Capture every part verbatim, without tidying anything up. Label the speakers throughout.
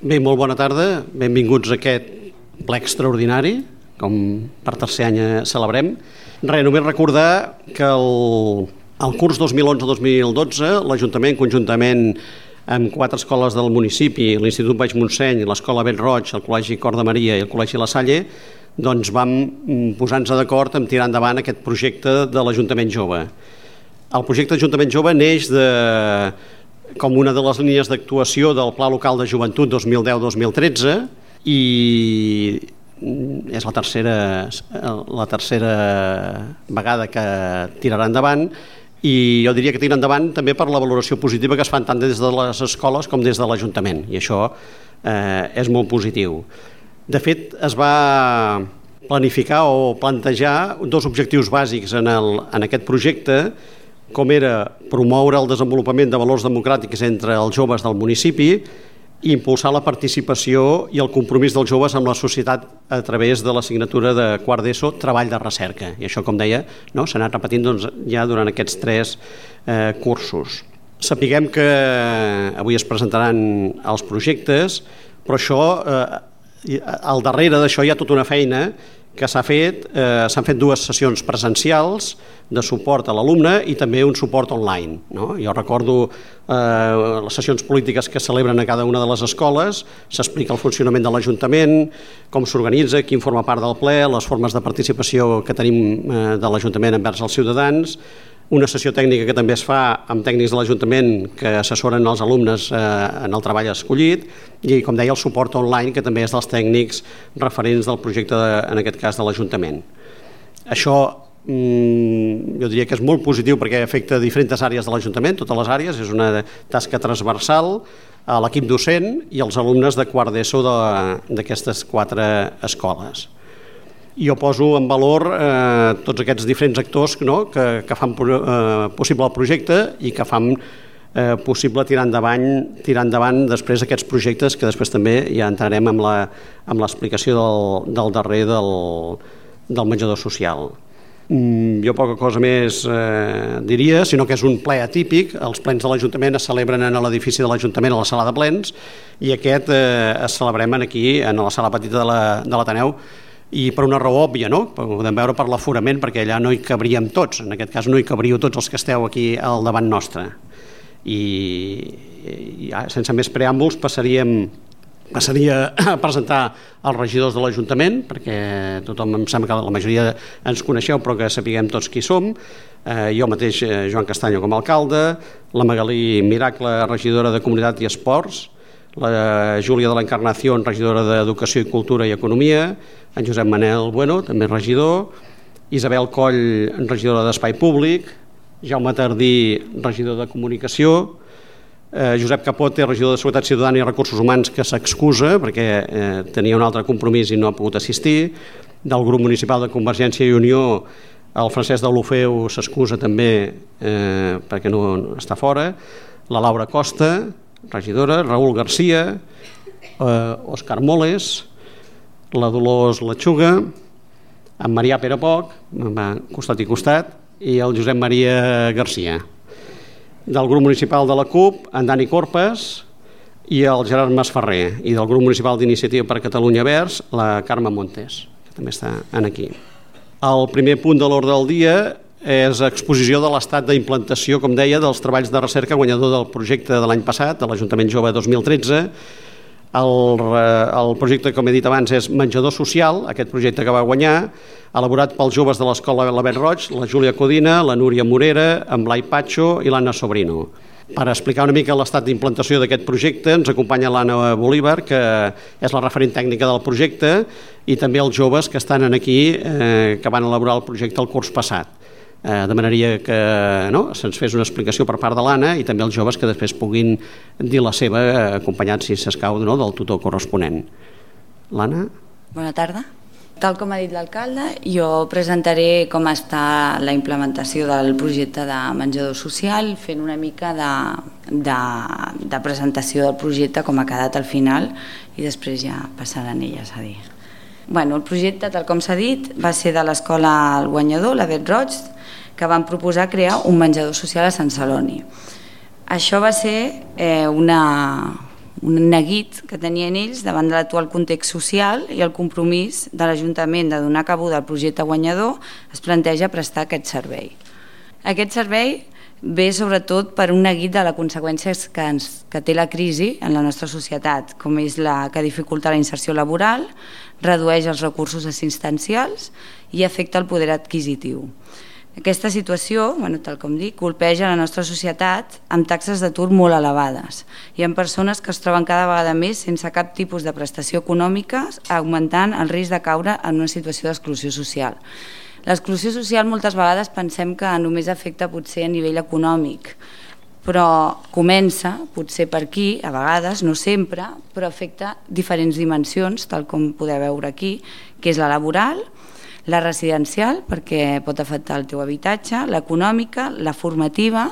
Speaker 1: Bé, molt bona tarda. Benvinguts a aquest ple extraordinari, com per tercer any celebrem. Res, només recordar que el, el curs dos mil onze dos mil dotze l'Ajuntament, conjuntament amb quatre escoles del municipi, l'Institut Baix Montseny, l'Escola Vent Roig, el Col·legi Cor de Maria i el Col·legi La Salle, doncs vam posar-nos d'acord en tirar endavant aquest projecte de l'Ajuntament Jove. El projecte d'Ajuntament Jove neix de... com una de les línies d'actuació del Pla Local de Joventut dos mil deu dos mil tretze i és la tercera, la tercera vegada que tirarà endavant i jo diria que tira endavant també per la valoració positiva que es fan tant des de les escoles com des de l'Ajuntament i això eh, és molt positiu. De fet, es va planificar o plantejar dos objectius bàsics en, el, en aquest projecte, com era promoure el desenvolupament de valors democràtics entre els joves del municipi i impulsar la participació i el compromís dels joves amb la societat a través de la signatura de quart d'ESO, treball de recerca. I això, com deia, no, s'ha anat repetint doncs, ja durant aquests tres eh, cursos. Sapiguem que avui es presentaran els projectes, però això, eh, al darrere d'això hi ha tota una feina que s'ha fet, eh, s'han fet dues sessions presencials de suport a l'alumne i també un suport online. No? Jo recordo eh, les sessions polítiques que es celebren a cada una de les escoles, s'explica el funcionament de l'Ajuntament, com s'organitza, qui forma part del ple, les formes de participació que tenim eh, de l'Ajuntament envers els ciutadans, una sessió tècnica que també es fa amb tècnics de l'Ajuntament que assessoren els alumnes eh, en el treball escollit i, com deia, el suport online, que també és dels tècnics referents del projecte, de, en aquest cas, de l'Ajuntament. Això mm, jo diria que és molt positiu perquè afecta diferents àrees de l'Ajuntament, totes les àrees, és una tasca transversal a l'equip docent i als alumnes de quart d'ESO d'aquestes quatre escoles. Jo poso en valor eh, tots aquests diferents actors no, que, que fan eh, possible el projecte i que fan eh, possible tirar endavant, tirar endavant després aquests projectes que després també ja entrarem amb la, amb l'explicació del, del darrer del, del menjador social. Mm, jo poca cosa més eh, diria, sinó que és un ple atípic. Els plens de l'Ajuntament es celebren en l'edifici de l'Ajuntament, a la sala de plens, i aquest eh, es celebrem aquí, en la sala petita de l'Ateneu, i per una raó òbvia, no? Podem veure per l'aforament, perquè allà no hi cabríem tots, en aquest cas no hi cabríeu tots els que esteu aquí al davant nostre. I, i sense més preàmbuls passaríem, passaria a presentar els regidors de l'Ajuntament, perquè tothom em sembla que la majoria ens coneixeu, però que sapiguem tots qui som. Eh, jo mateix, eh, Joan Castanyo com a alcalde, la Magalí Miracle, regidora de Comunitat i Esports, la Júlia de l'Encarnació, regidora d'Educació i Cultura i Economia, en Josep Manel Bueno, també regidor, Isabel Coll, regidora d'Espai Públic, Jaume Tardí, regidor de Comunicació, eh, Josep Capote, regidor de Seguretat Ciutadana i Recursos Humans, que s'excusa perquè eh, tenia un altre compromís i no ha pogut assistir, del grup municipal de Convergència i Unió, el Francesc de l'Ofeu s'excusa també eh, perquè no, no està fora, la Laura Costa, regidora, Raül Garcia, eh, Òscar Moles, la Dolors Lechuga, en Marià Perepoc, costat i costat, i el Josep Maria Garcia. Del grup municipal de la CUP, en Dani Corpes i el Gerard Masferrer, i del grup municipal d'Iniciativa per Catalunya Verds, la Carme Montes, que també està aquí. El primer punt de l'ordre del dia és exposició de l'estat d'implantació, com deia, dels treballs de recerca guanyador del projecte de l'any passat, de l'Ajuntament Jove dos mil tretze. El, el projecte, com he dit abans, és Menjador Social, aquest projecte que va guanyar, elaborat pels joves de l'Escola La Vent Roig, la Júlia Codina, la Núria Morera, en Blai Patxo i l'Anna Sobrino. Per explicar una mica l'estat d'implantació d'aquest projecte ens acompanya l'Anna Bolívar, que és la referent tècnica del projecte, i també els joves que estan aquí, eh, que van elaborar el projecte el curs passat. Eh, demanaria que no, se'ns fes una explicació per part de l'Anna i també els joves que després puguin dir la seva, acompanyats, si s'escau, no, del tutor corresponent. L'Anna?
Speaker 2: Bona tarda. Tal com ha dit l'alcalde, jo presentaré com està la implementació del projecte de menjador social, fent una mica de, de, de presentació del projecte, com ha quedat al final, i després ja passaran elles a dir. Bueno, el projecte, tal com s'ha dit, va ser de l'escola El Guanyador, la Vent Roig, que van proposar crear un menjador social a Sant Celoni. Això va ser eh, una, un neguit que tenien ells davant de l'actual context social i el compromís de l'Ajuntament de donar cabuda al projecte guanyador es planteja prestar aquest servei. Aquest servei ve sobretot per un neguit de les conseqüències que, ens, que té la crisi en la nostra societat, com és la que dificulta la inserció laboral, redueix els recursos assistencials i afecta el poder adquisitiu. Aquesta situació, bueno, tal com dic, colpeja la nostra societat amb taxes d'atur molt elevades. Hi ha persones que es troben cada vegada més sense cap tipus de prestació econòmica, augmentant el risc de caure en una situació d'exclusió social. L'exclusió social moltes vegades pensem que només afecta potser a nivell econòmic, però comença potser per aquí, a vegades, no sempre, però afecta diferents dimensions, tal com podeu veure aquí, que és la laboral, la residencial, perquè pot afectar el teu habitatge, l'econòmica, la formativa,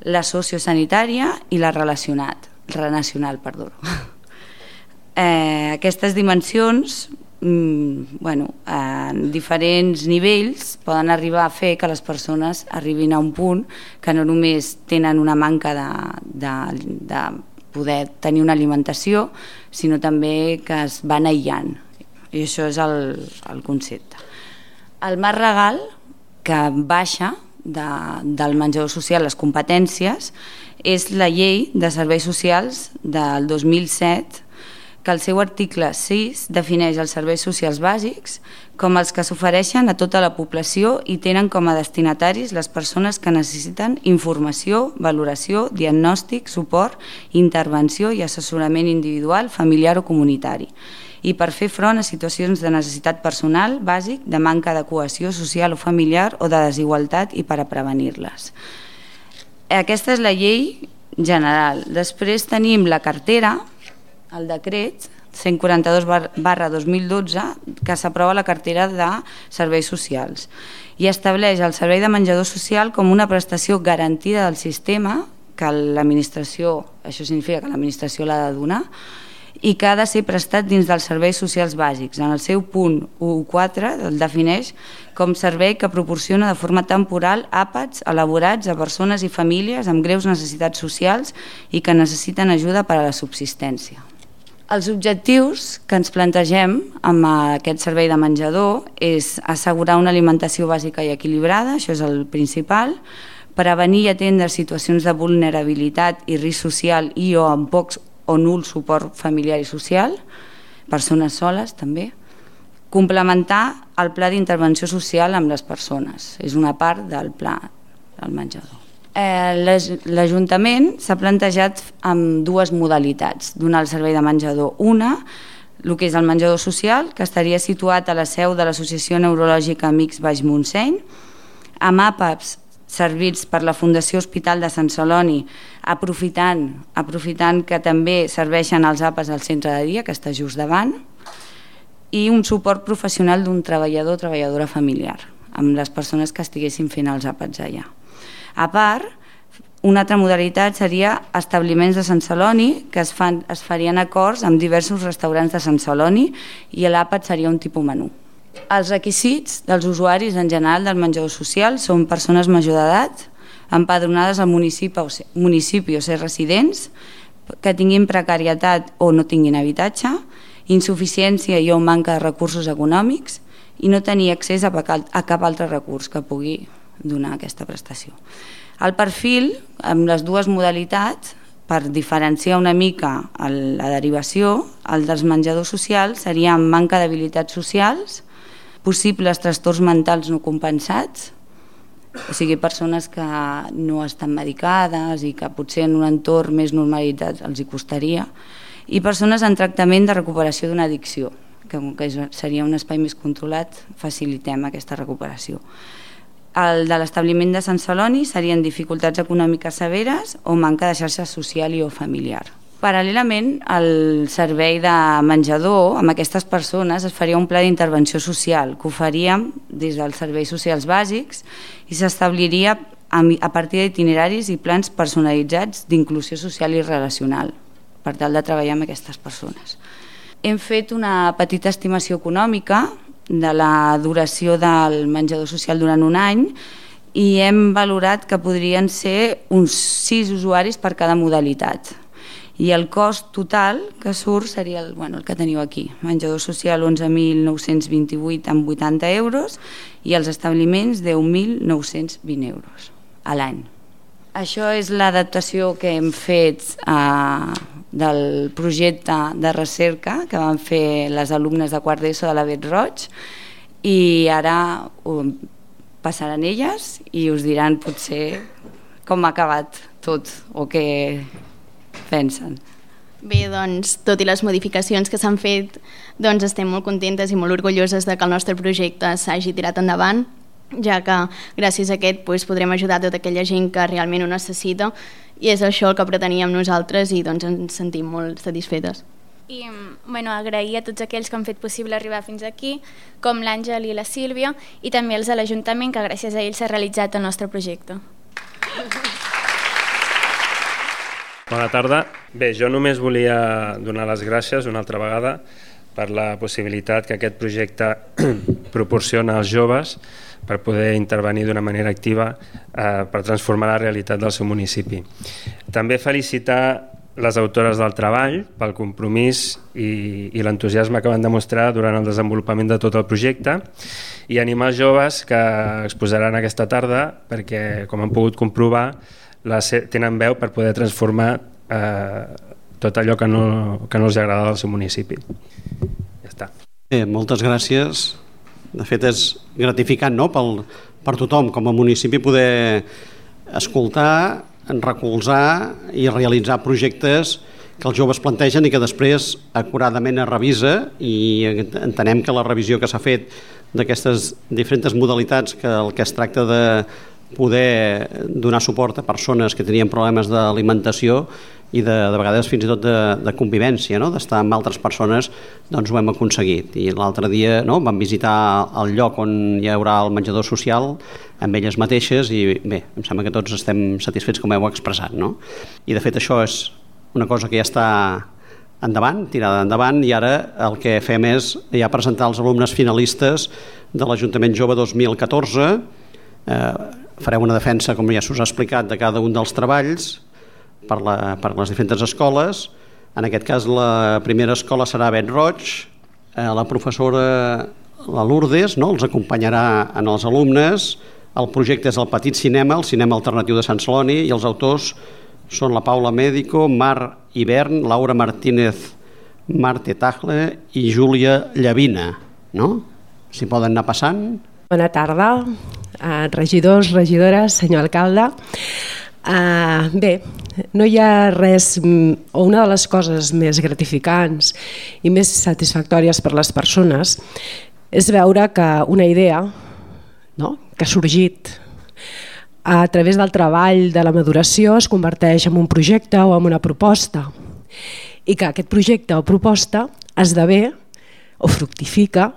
Speaker 2: la sociosanitària i la relacionat, relacional, perdó. Eh, aquestes dimensions, mm, bueno, en diferents nivells poden arribar a fer que les persones arribin a un punt que no només tenen una manca de, de, de poder tenir una alimentació, sinó també que es van aïllant. I això és el, el concepte. El marc legal que baixa de, del menjador social les competències és la Llei de Serveis Socials del dos mil set, que el seu article sis defineix els serveis socials bàsics com els que s'ofereixen a tota la població i tenen com a destinataris les persones que necessiten informació, valoració, diagnòstic, suport, intervenció i assessorament individual, familiar o comunitari, i per fer front a situacions de necessitat personal bàsic, de manca de cohesió social o familiar o de desigualtat i per a prevenir-les. Aquesta és la llei general. Després tenim la cartera, el decret cent quaranta-dos barra dos mil dotze, que s'aprova la cartera de serveis socials i estableix el servei de menjador social com una prestació garantida del sistema, que l'administració, això significa que l'administració l'ha de donar, i que ha de ser prestat dins dels serveis socials bàsics. En el seu punt u punt quatre el defineix com servei que proporciona de forma temporal àpats elaborats a persones i famílies amb greus necessitats socials i que necessiten ajuda per a la subsistència. Els objectius que ens plantegem amb aquest servei de menjador és assegurar una alimentació bàsica i equilibrada, això és el principal, prevenir i atendre situacions de vulnerabilitat i risc social i o amb pocs o nul suport familiar i social, persones soles també, complementar el pla d'intervenció social amb les persones, és una part del pla del menjador. Eh, L'Ajuntament s'ha plantejat amb dues modalitats donar el servei de menjador. Una, el que és el menjador social, que estaria situat a la seu de l'Associació Neurològica Amics Baix Montseny, amb àpats servits per la Fundació Hospital de Sant Celoni, aprofitant, aprofitant que també serveixen els àpats al centre de dia, que està just davant, i un suport professional d'un treballador o treballadora familiar, amb les persones que estiguessin fent els àpats allà. A part, una altra modalitat seria establiments de Sant Celoni, que es, fan, es farien acords amb diversos restaurants de Sant Celoni i l'àpat seria un tipus menú. Els requisits dels usuaris en general del menjador social són persones major d'edat, empadronades al municipi o, ser, municipi o ser residents, que tinguin precarietat o no tinguin habitatge, insuficiència i o manca de recursos econòmics i no tenir accés a cap altre recurs que pugui donar aquesta prestació. El perfil, amb les dues modalitats, per diferenciar una mica la derivació, el dels menjadors socials seria amb manca d'habilitats socials, possibles trastorns mentals no compensats, o sigui, persones que no estan medicades i que potser en un entorn més normalitzat els hi costaria, i persones en tractament de recuperació d'una addicció, que seria un espai més controlat, facilitem aquesta recuperació. El de l'establiment de Sant Celoni serien dificultats econòmiques severes o manca de xarxa social i o familiar. Paral·lelament, el servei de menjador amb aquestes persones es faria un pla d'intervenció social que oferíem des dels serveis socials bàsics i s'establiria a partir d'itineraris i plans personalitzats d'inclusió social i relacional per tal de treballar amb aquestes persones. Hem fet una petita estimació econòmica de la duració del menjador social durant un any i hem valorat que podrien ser uns sis usuaris per cada modalitat I el cost total que surt seria el, bueno, el que teniu aquí. Menjador social onze mil nou-cents vint-i-vuit amb vuitanta euros i els establiments deu mil nou-cents vint euros a l'any. Això és l'adaptació que hem fet eh, del projecte de recerca que van fer les alumnes de quart d'ESO de la Bet Roig, i ara um, passaran elles i us diran potser com ha acabat tot o què pensen.
Speaker 3: Bé, doncs, tot i les modificacions que s'han fet, doncs estem molt contentes i molt orgulloses de que el nostre projecte s'hagi tirat endavant, ja que gràcies a aquest doncs, podrem ajudar tota aquella gent que realment ho necessita, i és això el que preteníem nosaltres i doncs, ens sentim molt satisfetes.
Speaker 4: I bueno, agrair a tots aquells que han fet possible arribar fins aquí, com l'Àngel i la Sílvia, i també els de l'Ajuntament, que gràcies a ells s'ha realitzat el nostre projecte.
Speaker 5: Bona tarda. Bé, jo només volia donar les gràcies una altra vegada per la possibilitat que aquest projecte proporciona als joves per poder intervenir d'una manera activa eh, per transformar la realitat del seu municipi. També felicitar les autores del treball pel compromís i, i l'entusiasme que van demostrar durant el desenvolupament de tot el projecte, i animar els joves que exposaran aquesta tarda perquè, com han pogut comprovar, les, tenen veu per poder transformar eh, tot allò que no, que no els agrada del seu municipi. Ja està.
Speaker 1: Bé, moltes gràcies. De fet, és gratificant, no?, Pel, per tothom com a municipi poder escoltar, recolzar i realitzar projectes que els joves plantegen i que després acuradament es revisa, i entenem que la revisió que s'ha fet d'aquestes diferents modalitats, que el que es tracta de poder donar suport a persones que tenien problemes d'alimentació i de, de vegades fins i tot de, de convivència, no?, d'estar amb altres persones, doncs ho hem aconseguit. I l'altre dia, no?, vam visitar el lloc on hi haurà el menjador social amb elles mateixes i bé, em sembla que tots estem satisfets com heu expressat, no? I de fet això és una cosa que ja està endavant, tirada endavant, i ara el que fem és ja presentar els alumnes finalistes de l'Ajuntament Jove dos mil catorze. Eh, fareu una defensa, com ja s'us ha explicat, de cada un dels treballs per, la, per les diferents escoles. En aquest cas la primera escola serà Bet Roig, eh, la professora la Lourdes, no?, els acompanyarà en els alumnes. El projecte és el Petit Cinema, el cinema alternatiu de Sant Celoni, i els autors són la Paula Médico, Mar Hivern, Laura Martínez Marte Tagle i Júlia Llavina, no? Si poden anar passant.
Speaker 6: Bona tarda, uh, regidors, regidores, senyor alcalde. Uh, bé, no hi ha res, o una de les coses més gratificants i més satisfactòries per les persones és veure que una idea, no?, que ha sorgit a través del treball, de la maduració, es converteix en un projecte o en una proposta, i que aquest projecte o proposta esdevé o fructifica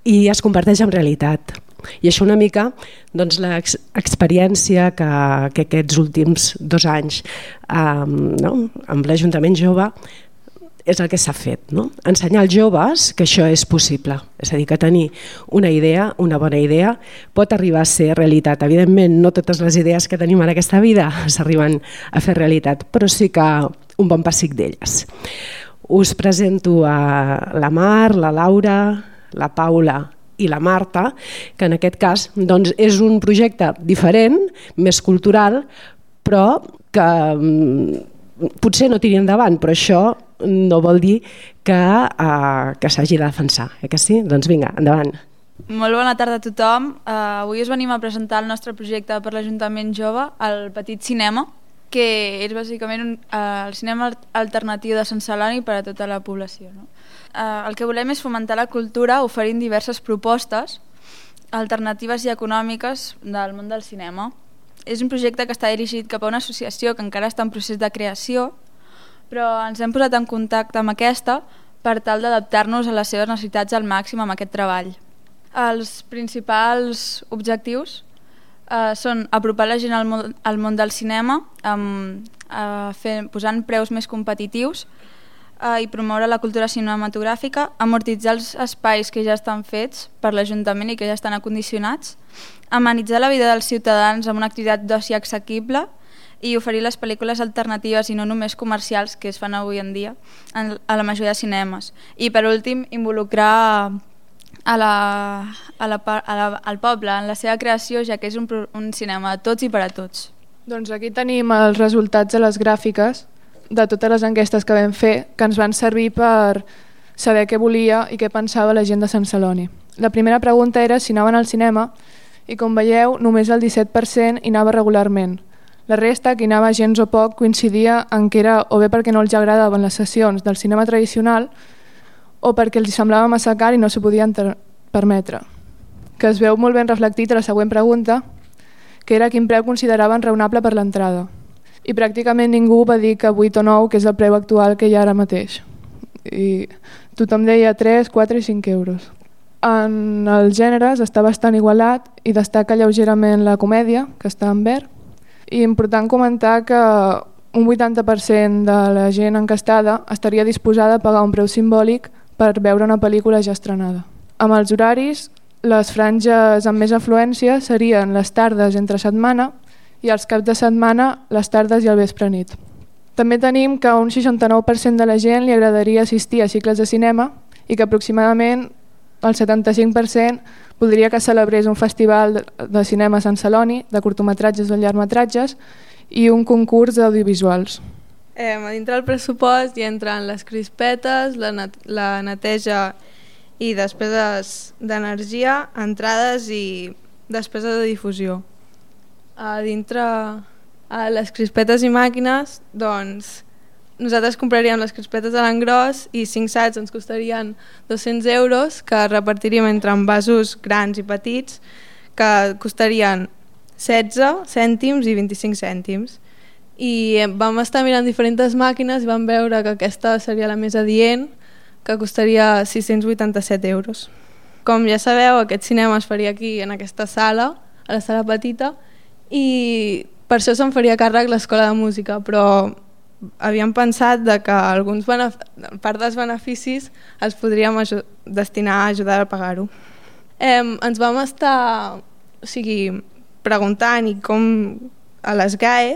Speaker 6: i es converteix en realitat. I això una mica, doncs, l'experiència que, que aquests últims dos anys eh, no?, amb l'Ajuntament Jove és el que s'ha fet, no? Ensenyar als joves que això és possible, és a dir, que tenir una idea, una bona idea, pot arribar a ser realitat. Evidentment, no totes les idees que tenim en aquesta vida s'arriben a fer realitat, però sí que un bon pessic d'elles. Us presento a la Mar, la Laura, la Paula i la Marta, que en aquest cas doncs, és un projecte diferent, més cultural, però que potser no tiri endavant, però això no vol dir que, uh, que s'hagi de defensar, eh que sí? Doncs vinga, endavant.
Speaker 7: Molt bona tarda a tothom. Uh, avui us venim a presentar el nostre projecte per l'Ajuntament Jove, el Petit Cinema, que és bàsicament un, uh, el cinema alternatiu de Sant Celoni per a tota la població, no? Uh, el que volem és fomentar la cultura oferint diverses propostes alternatives i econòmiques del món del cinema. És un projecte que està dirigit cap a una associació que encara està en procés de creació, però ens hem posat en contacte amb aquesta per tal d'adaptar-nos a les seves necessitats al màxim amb aquest treball. Els principals objectius eh, són apropar la gent al món, al món del cinema, amb, eh, fent, posant preus més competitius eh, i promoure la cultura cinematogràfica, amortitzar els espais que ja estan fets per l'Ajuntament i que ja estan acondicionats, amenitzar la vida dels ciutadans amb una activitat d'oci assequible i oferir les pel·lícules alternatives i no només comercials que es fan avui en dia en, a la majoria de cinemes. I per últim, involucrar a la, a la, a la, al poble en la seva creació, ja que és un, un cinema de tots i per a tots.
Speaker 8: Doncs aquí tenim els resultats de les gràfiques de totes les enquestes que vam fer, que ens van servir per saber què volia i què pensava la gent de Sant Celoni. La primera pregunta era si anaven al cinema i, com veieu, només el disset per cent hi anava regularment. La resta, que hi anava gens o poc, coincidia en que era o bé perquè no els agradaven les sessions del cinema tradicional o perquè els semblava massa car i no s'ho podien permetre. Que es veu molt ben reflectit a la següent pregunta, que era quin preu consideraven raonable per l'entrada. I pràcticament ningú va dir que vuit o nou, que és el preu actual que hi ha ara mateix. I tothom deia tres, quatre i cinc euros. En els gèneres està bastant igualat i destaca lleugerament la comèdia, que està en verd. I important comentar que un vuitanta per cent de la gent encastada estaria disposada a pagar un preu simbòlic per veure una pel·lícula ja estrenada. Amb els horaris, les franges amb més afluència serien les tardes entre setmana i els caps de setmana les tardes i el vespre nit. També tenim que a un seixanta-nou per cent de la gent li agradaria assistir a cicles de cinema i que aproximadament el setanta-cinc per cent voldria que celebrés un festival de cinema a Sant Celoni, de curtometratges o llargmetratges i un concurs d'audiovisuals.
Speaker 9: Eh, a dintre del pressupost hi entren les crispetes, la, net la neteja i despeses d'energia, entrades i despeses de difusió. A dintre a les crispetes i màquines, doncs nosaltres compraríem les crispetes a l'engròs i cinc sats ens costarien dos-cents euros, que repartiríem entre envasos grans i petits, que costarien setze cèntims i vint-i-cinc cèntims. I vam estar mirant diferents màquines i vam veure que aquesta seria la més adient, que costaria sis-cents vuitanta-set euros. Com ja sabeu, aquest cinema es faria aquí, en aquesta sala, a la sala petita, i per això se'n faria càrrec l'Escola de Música, però havíem pensat de que alguns part dels beneficis els podríem destinar a ajudar a pagar-ho. Eh, ens vam estar o sigui, preguntant i com a les G A E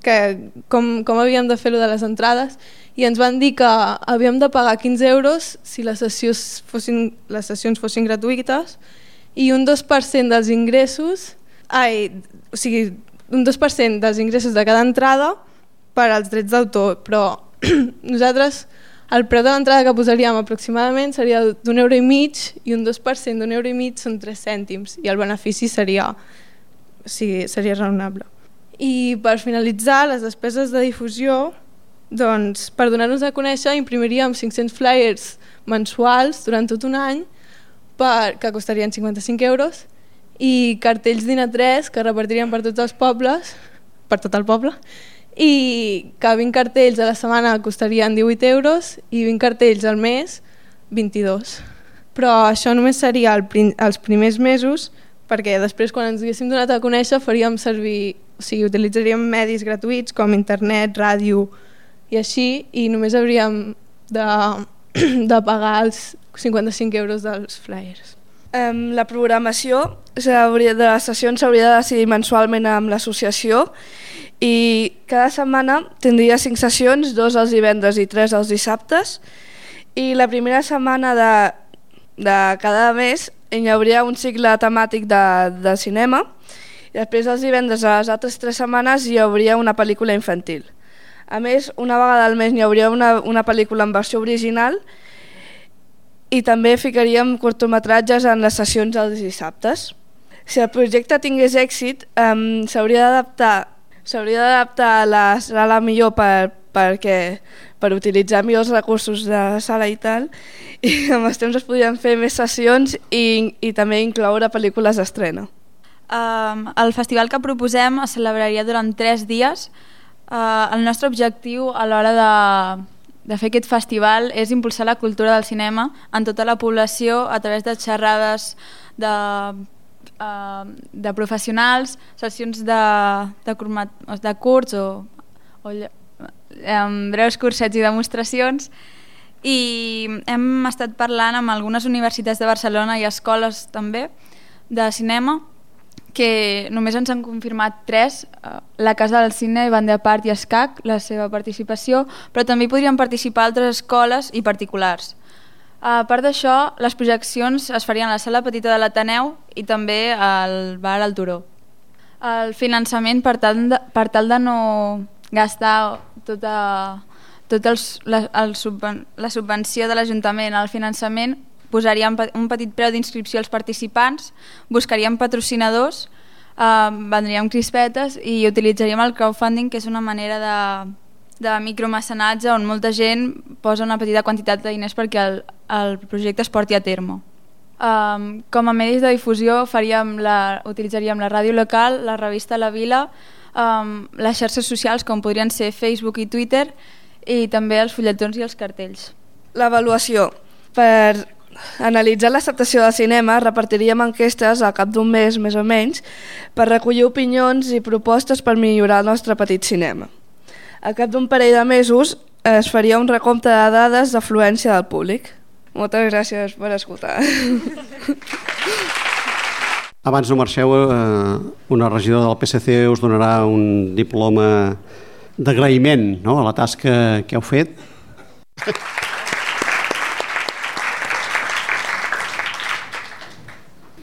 Speaker 9: que com, com havíem de fer-ho de les entrades i ens van dir que havíem de pagar quinze euros si les sessions fossin, les sessions fossin gratuïtes i un dos per cent dels ingressos, ai, o sigui, un dos per cent dels ingressos de cada entrada per als drets d'autor, però nosaltres el preu de l'entrada que posaríem aproximadament seria d'un euro i mig i un dos per cent d'un euro i mig són tres cèntims i el benefici seria, o sigui, seria raonable. I per finalitzar, les despeses de difusió, doncs, per donar-nos a conèixer imprimiríem cinc-cents flyers mensuals durant tot un any per, que costarien cinquanta-cinc euros i cartells d'I N A tres que repartiríem per tots els pobles, per tot el poble, i que vint cartells a la setmana costarien divuit euros i vint cartells al mes vint-i-dos. Però això només seria el prim, els primers mesos, perquè després quan ens haguéssim donat a conèixer faríem servir, o sigui, utilitzaríem medis gratuïts com internet, ràdio i així, i només hauríem de, de pagar els cinquanta-cinc euros dels flyers.
Speaker 10: Um, la programació de les sessions s'hauria de decidir mensualment amb l'associació i cada setmana tindria cinc sessions, dos els divendres i tres els dissabtes, i la primera setmana de, de cada mes hi hauria un cicle temàtic de, de cinema i després els divendres a les altres tres setmanes hi hauria una pel·lícula infantil. A més, una vegada al mes hi hauria una, una pel·lícula en versió original i també ficaríem curtometratges en les sessions dels dissabtes. Si el projecte tingués èxit, um, s'hauria d'adaptar s'hauria d'adaptar a la sala millor per, perquè, per utilitzar millors recursos de sala i tal, i amb els temps es podrien fer més sessions i, i també incloure pel·lícules d'estrena.
Speaker 7: Um, el festival que proposem es celebraria durant tres dies. Uh, el nostre objectiu a l'hora de, de fer aquest festival és impulsar la cultura del cinema en tota la població a través de xerrades de, uh, de professionals, sessions de, de, curmat, de curts o, o um, breus cursets i demostracions, i hem estat parlant amb algunes universitats de Barcelona i escoles també de cinema que només ens han confirmat tres, la Casa del Cine, Banda de Part i Escac, la seva participació, però també hi podrien participar altres escoles i particulars. A part d'això, les projeccions es farien a la sala petita de l'Ateneu i també al bar al Turó. El finançament, per tal de, per tal de no gastar tota, tot els, la, el subven, la subvenció de l'Ajuntament al finançament, posaríem un petit preu d'inscripció als participants, buscaríem patrocinadors, eh, vendríem crispetes i utilitzaríem el crowdfunding, que és una manera de, de micromecenatge on molta gent posa una petita quantitat de diners perquè el, el projecte es porti a terme. Um, com a medis de difusió faríem la, utilitzaríem la ràdio local, la revista La Vila, um, les xarxes socials com podrien ser Facebook i Twitter i també els fulletons i els cartells.
Speaker 10: L'avaluació. Per analitzar l'acceptació del cinema repartiríem enquestes al cap d'un mes més o menys per recollir opinions i propostes per millorar el nostre petit cinema. Al cap d'un parell de mesos es faria un recompte de dades d'afluència del públic. Moltes gràcies per escoltar.
Speaker 1: Abans no marxeu, eh, una regidora del P S C us donarà un diploma d'agraïment, no?, a la tasca que heu fet.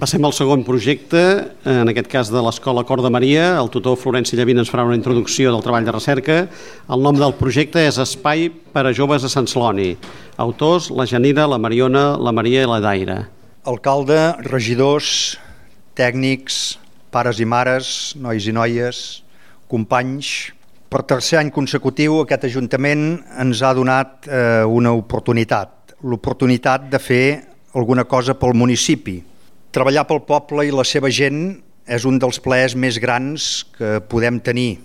Speaker 1: Passem al segon projecte, en aquest cas de l'Escola Cor de Maria. El tutor Florenci Llavina ens farà una introducció del treball de recerca. El nom del projecte és Espai per a joves a Sant Celoni. Autors, la Janira, la Mariona, la Maria i la Daira.
Speaker 11: Alcalde, regidors, tècnics, pares i mares, nois i noies, companys. Per tercer any consecutiu aquest Ajuntament ens ha donat eh, una oportunitat, l'oportunitat de fer alguna cosa pel municipi. Treballar pel poble i la seva gent és un dels plaers més grans que podem tenir.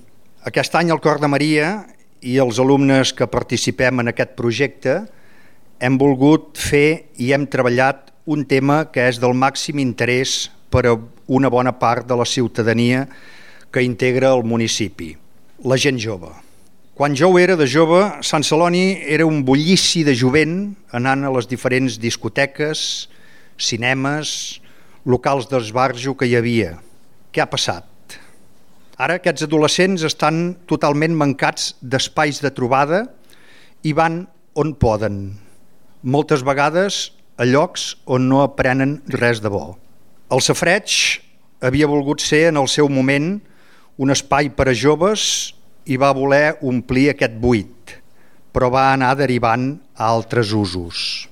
Speaker 11: Aquest any el Cor de Maria i els alumnes que participem en aquest projecte hem volgut fer i hem treballat un tema que és del màxim interès per a una bona part de la ciutadania que integra el municipi, la gent jove. Quan jo era de jove, Sant Celoni era un bullici de jovent anant a les diferents discoteques, cinemes, locals d'esbarjo que hi havia. Què ha passat? Ara aquests adolescents estan totalment mancats d'espais de trobada i van on poden. Moltes vegades a llocs on no aprenen res de bo. El Safareig havia volgut ser en el seu moment un espai per a joves i va voler omplir aquest buit, però va anar derivant a altres usos.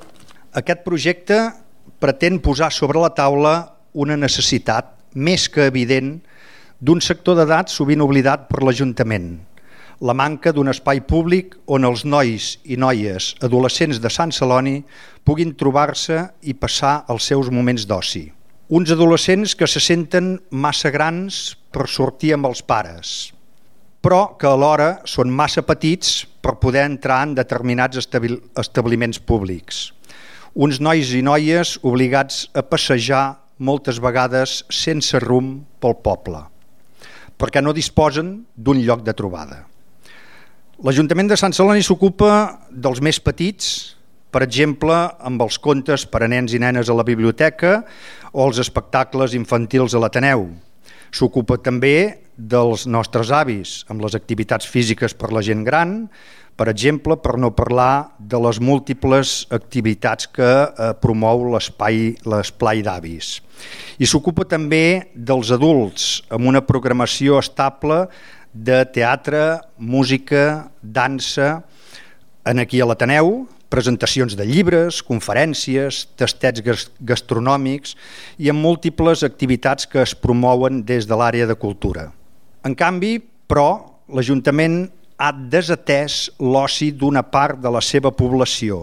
Speaker 11: Aquest projecte pretén posar sobre la taula una necessitat més que evident d'un sector d'edat sovint oblidat per l'Ajuntament, la manca d'un espai públic on els nois i noies adolescents de Sant Celoni puguin trobar-se i passar els seus moments d'oci. Uns adolescents que se senten massa grans per sortir amb els pares, però que alhora són massa petits per poder entrar en determinats establiments públics. Uns nois i noies obligats a passejar moltes vegades sense rumb pel poble, perquè no disposen d'un lloc de trobada. L'Ajuntament de Sant Celoni s'ocupa dels més petits, per exemple, amb els contes per a nens i nenes a la biblioteca o els espectacles infantils a l'Ateneu. S'ocupa també dels nostres avis, amb les activitats físiques per la gent gran, per exemple, per no parlar de les múltiples activitats que eh, promou l'espai l'esplai d'avis. I s'ocupa també dels adults, amb una programació estable de teatre, música, dansa, en aquí a l'Ateneu, presentacions de llibres, conferències, tastets gastronòmics i amb múltiples activitats que es promouen des de l'àrea de cultura. En canvi, però, l'Ajuntament ha desatès l'oci d'una part de la seva població,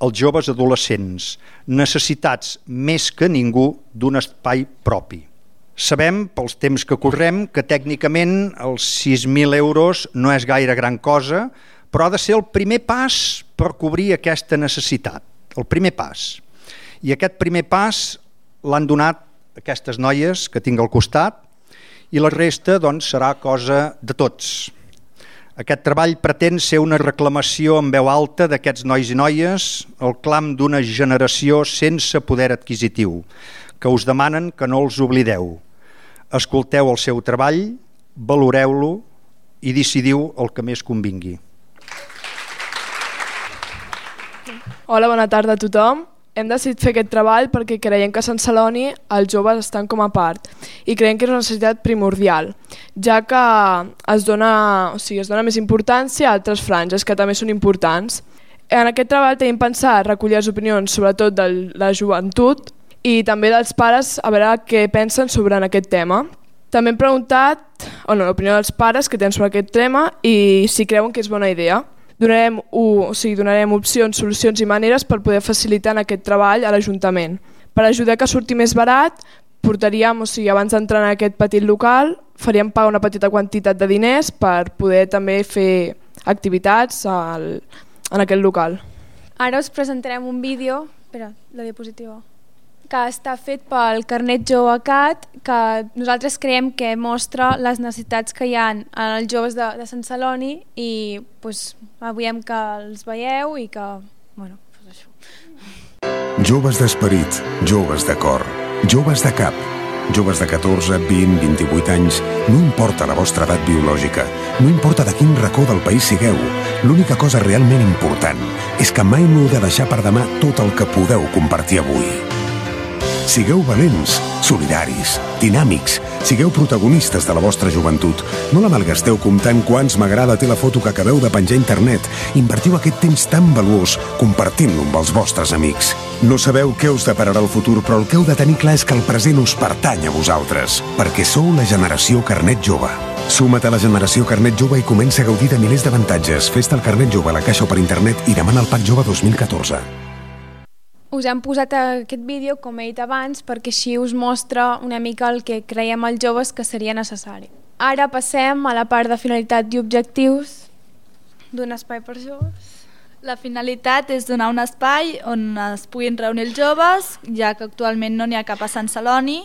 Speaker 11: els joves adolescents, necessitats més que ningú d'un espai propi. Sabem, pels temps que correm, que tècnicament els sis mil euros no és gaire gran cosa, però ha de ser el primer pas per cobrir aquesta necessitat, el primer pas. I aquest primer pas l'han donat aquestes noies que tinc al costat i la resta doncs, serà cosa de tots. Aquest treball pretén ser una reclamació en veu alta d'aquests nois i noies, el clam d'una generació sense poder adquisitiu, que us demanen que no els oblideu. escolteu el seu treball, valoreu-lo i decidiu el que més convingui.
Speaker 8: Hola, bona tarda a tothom. Hem decidit fer aquest treball perquè creiem que a Sant Celoni els joves estan com a part i creiem que és una necessitat primordial, ja que es dona, o sigui, es dona més importància a altres franges que també són importants. En aquest treball tenim pensat recollir les opinions sobretot de la joventut i també dels pares a veure què pensen sobre aquest tema. També hem preguntat bueno, l'opinió dels pares que tenen sobre aquest tema i si creuen que és bona idea. Donarem, o sigui, donarem opcions, solucions i maneres per poder facilitar aquest treball a l'Ajuntament. Per ajudar que surti més barat, portaríem, o sigui, abans d'entrar en aquest petit local, faríem pagar una petita quantitat de diners per poder també fer activitats al, en aquest local.
Speaker 12: Ara us presentarem un vídeo, espera, la diapositiva, que està fet pel Carnet Jove Cat, que nosaltres creiem que mostra les necessitats que hi ha als joves de, de Sant Celoni i pues, veiem que els veieu i que... Bueno, pues això.
Speaker 13: Joves d'esperit, joves de cor, joves de cap, joves de catorze, vint, vint-i-vuit anys, no importa la vostra edat biològica, no importa de quin racó del país sigueu, l'única cosa realment important és que mai no heu de deixar per demà tot el que podeu compartir avui. Sigueu valents, solidaris, dinàmics, sigueu protagonistes de la vostra joventut. No la malgasteu comptant quants m'agrada té la foto que acabeu de penjar a internet. Invertiu aquest temps tan valuós compartint-lo amb els vostres amics. No sabeu què us depararà el futur, però el que heu de tenir clar és que el present us pertany a vosaltres, perquè sou la generació Carnet Jove. Suma't a la generació Carnet Jove i comença a gaudir de milers d'avantatges. Fes-te el Carnet Jove a la caixa o per internet i demana el Pack Jove dos mil catorze.
Speaker 12: Us hem posat aquest vídeo, com he dit abans, perquè així us mostra una mica el que creiem els joves que seria necessari. Ara passem a la part de finalitat i objectius d'un espai per joves.
Speaker 14: La finalitat és donar un espai on es puguin reunir els joves, ja que actualment no n'hi ha cap a Sant Celoni,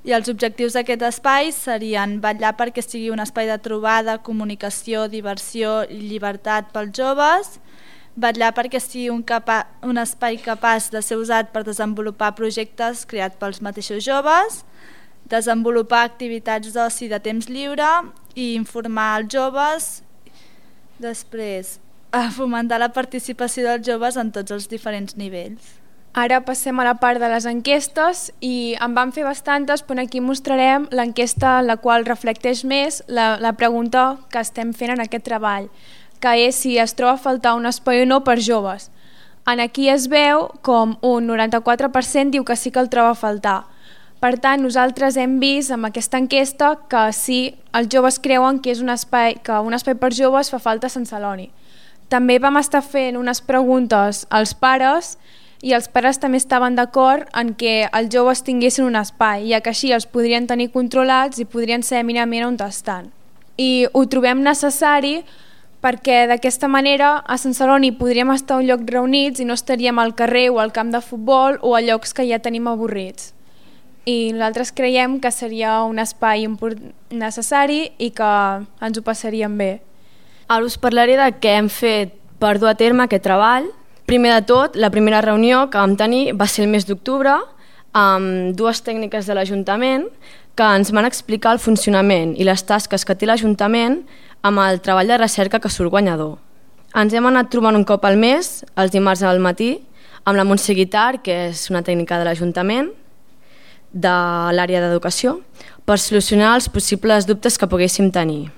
Speaker 14: i els objectius d'aquest espai serien vetllar perquè sigui un espai de trobada, comunicació, diversió i llibertat pels joves, vetllar perquè sigui un, capa un espai capaç de ser usat per desenvolupar projectes creats pels mateixos joves, desenvolupar activitats d'oci de temps lliure i informar els joves. Després, a fomentar la participació dels joves en tots els diferents nivells.
Speaker 12: Ara passem a la part de les enquestes i en vam fer bastantes, però aquí mostrarem l'enquesta en la qual reflecteix més la, la pregunta que estem fent en aquest treball, que és si es troba a faltar un espai o no per joves. En aquí es veu com un noranta-quatre per cent diu que sí que el troba a faltar. Per tant, nosaltres hem vist amb aquesta enquesta que sí, els joves creuen que és un espai, que un espai per joves fa falta a Sant Celoni. També vam estar fent unes preguntes als pares i els pares també estaven d'acord en que els joves tinguessin un espai, ja que així els podrien tenir controlats i podrien saber mínimament on estan. I ho trobem necessari perquè d'aquesta manera a Sant Celoni podríem estar a un lloc reunits i no estaríem al carrer o al camp de futbol o a llocs que ja tenim avorrits. I nosaltres creiem que seria un espai necessari i que ens ho passaríem bé.
Speaker 15: Ara us parlaré de què hem fet per dur a terme aquest treball. Primer de tot, la primera reunió que vam tenir va ser el mes d'octubre amb dues tècniques de l'Ajuntament que ens van explicar el funcionament i les tasques que té l'Ajuntament amb el treball de recerca que surt guanyador. Ens hem anat trobant un cop al mes, els dimarts al matí, amb la Montse Guitar, que és una tècnica de l'Ajuntament, de l'àrea d'educació, per solucionar els possibles dubtes que poguéssim tenir.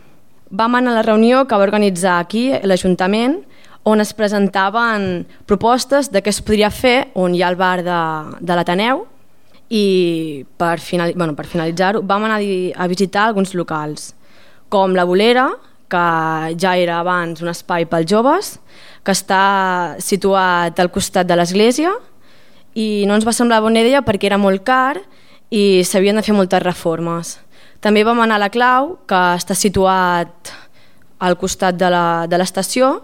Speaker 15: Vam anar a la reunió que va organitzar aquí l'Ajuntament, on es presentaven propostes de què es podria fer, on hi ha el bar de, de l'Ateneu, i per, final, bueno, per finalitzar-ho vam anar a visitar alguns locals, com la Bolera, que ja era abans un espai pels joves, que està situat al costat de l'església i no ens va semblar bona idea perquè era molt car i s'havien de fer moltes reformes. També vam anar a la Clau, que està situat al costat de l'estació.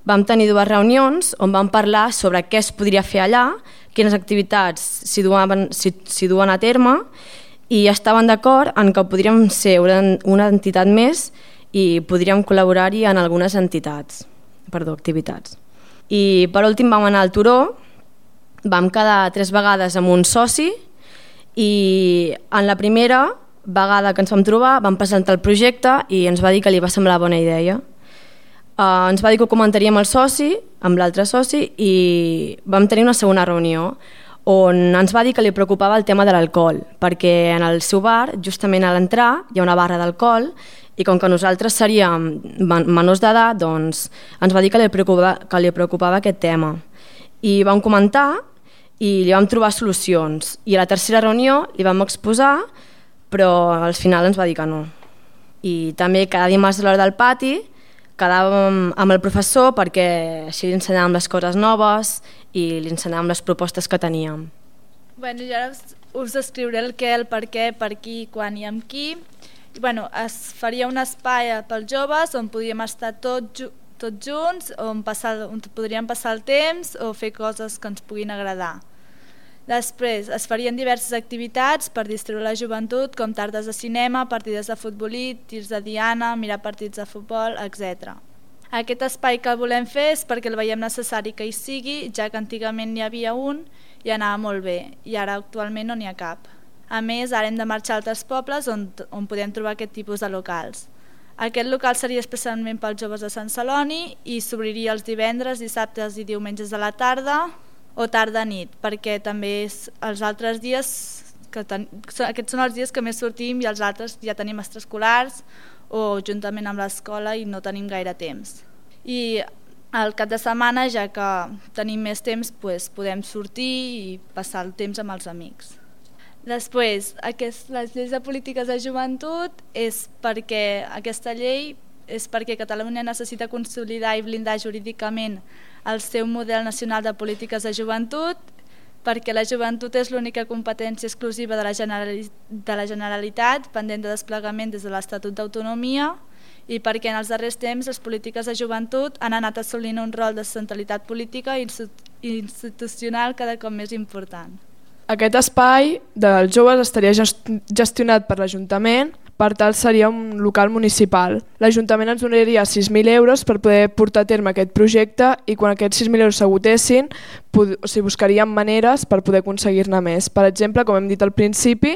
Speaker 15: Vam tenir dues reunions on vam parlar sobre què es podria fer allà, quines activitats s'hi duen, s'hi duen a terme, i estaven d'acord en que podríem ser una entitat més i podríem col·laborar-hi en algunes entitats, perdó, activitats. I per últim vam anar al Turó, vam quedar tres vegades amb un soci i en la primera vegada que ens vam trobar vam presentar el projecte i ens va dir que li va semblar bona idea. Uh, ens va dir que ho comentaríem amb el soci, amb l'altre soci, i vam tenir una segona reunió on ens va dir que li preocupava el tema de l'alcohol, perquè en el seu bar, justament a l'entrar, hi ha una barra d'alcohol i com que nosaltres seríem menors d'edat, doncs ens va dir que li preocupava, que li preocupava aquest tema. I vam comentar i li vam trobar solucions. I a la tercera reunió li vam exposar, però al final ens va dir que no. I també cada dimarts a l'hora del pati quedàvem amb el professor perquè així li ensenyàvem les coses noves i li ensenyàvem les propostes que teníem.
Speaker 14: Bueno, jo ara us, us descriuré el què, el per què, per qui, quan i amb qui. Bueno, es faria un espai pels joves on podíem estar tots tots junts, on, passar, on podríem passar el temps o fer coses que ens puguin agradar. Després es farien diverses activitats per distribuir la joventut, com tardes de cinema, partides de futbolí, tirs de diana, mirar partits de futbol, etcètera. Aquest espai que el volem fer és perquè el veiem necessari que hi sigui, ja que antigament n'hi havia un i anava molt bé, i ara actualment no n'hi ha cap. A més, ara hem de marxar a altres pobles on, on podem trobar aquest tipus de locals. Aquest local seria especialment pels joves de Sant Celoni i s'obriria els divendres, dissabtes i diumenges de la tarda o tarda-nit, perquè també és els altres dies, que ten... aquests són els dies que més sortim i els altres ja tenim extraescolars o juntament amb l'escola i no tenim gaire temps. I al cap de setmana, ja que tenim més temps, doncs podem sortir i passar el temps amb els amics. Després, aquest, les lleis de polítiques de joventut és perquè aquesta llei és perquè Catalunya necessita consolidar i blindar jurídicament el seu model nacional de polítiques de joventut, perquè la joventut és l'única competència exclusiva de la, Generali- de la Generalitat pendent de desplegament des de l'Estatut d'Autonomia i perquè en els darrers temps les polítiques de joventut han anat assolint un rol de centralitat política i institucional cada cop més important.
Speaker 8: Aquest espai dels joves estaria gestionat per l'Ajuntament, per tal seria un local municipal. L'Ajuntament ens donaria sis mil euros per poder portar a terme aquest projecte i quan aquests sis mil euros s'agotessin, o sigui, buscaríem maneres per poder aconseguir-ne més. Per exemple, com hem dit al principi,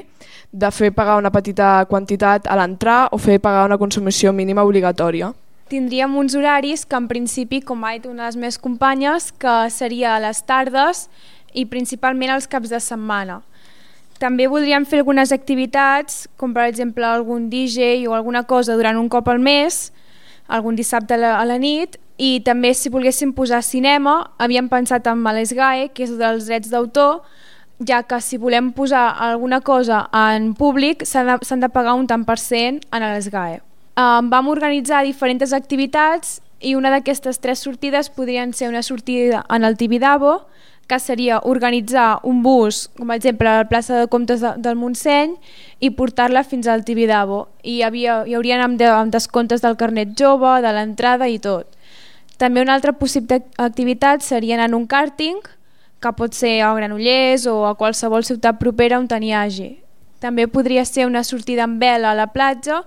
Speaker 8: de fer pagar una petita quantitat a l'entrar o fer pagar una consumició mínima obligatòria.
Speaker 12: Tindríem uns horaris que en principi, com ha dit una de les meves companyes, que seria a les tardes i principalment els caps de setmana. També voldríem fer algunes activitats, com per exemple algun D J o alguna cosa durant un cop al mes, algun dissabte a la, a la nit, i també si volguéssim posar cinema, havíem pensat en l'ESGAE, que és dels drets d'autor, ja que si volem posar alguna cosa en públic s'han de, s'han de pagar un tant per cent en l'ESGAE. Um, vam organitzar diferents activitats i una d'aquestes tres sortides podrien ser una sortida en el Tibidabo, que seria organitzar un bus, com per exemple a la plaça de Comtes de, del Montseny, i portar-la fins al Tibidabo. I hi, havia, hi haurien amb, de, amb descomptes del carnet jove, de l'entrada i tot. També una altra possible activitat seria anar en un càrting, que pot ser a Granollers o a qualsevol ciutat propera on n'hi hagi. També podria ser una sortida en vela a la platja,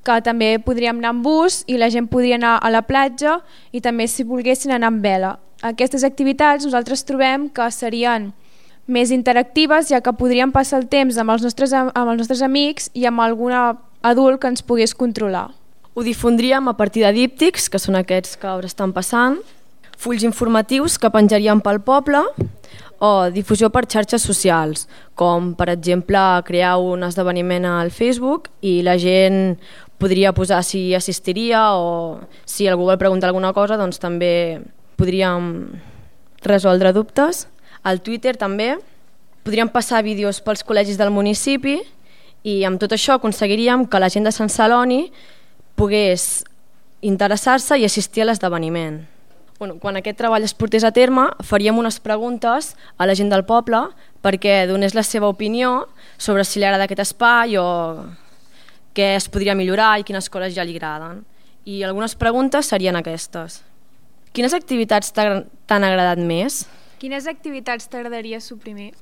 Speaker 12: que també podríem anar en bus i la gent podria anar a la platja i també si volguessin anar en vela. Aquestes activitats nosaltres trobem que serien més interactives, ja que podríem passar el temps amb els nostres, amb els nostres amics i amb algun adult que ens pogués controlar.
Speaker 15: Ho difondríem a partir de díptics, que són aquests que ara estan passant, fulls informatius que penjaríem pel poble o difusió per xarxes socials, com per exemple crear un esdeveniment al Facebook i la gent podria posar si assistiria o si algú vol preguntar alguna cosa, doncs també podríem resoldre dubtes. Al Twitter també podríem passar vídeos pels col·legis del municipi i amb tot això aconseguiríem que la gent de Sant Celoni pogués interessar-se i assistir a l'esdeveniment. Bueno, quan aquest treball es portés a terme, faríem unes preguntes a la gent del poble perquè donés la seva opinió sobre si li agrada aquest espai o què es podria millorar i quines coses ja li agraden. I algunes preguntes serien aquestes. Quines activitats t'han agradat més?
Speaker 12: Quines activitats t'agradaria suprimir?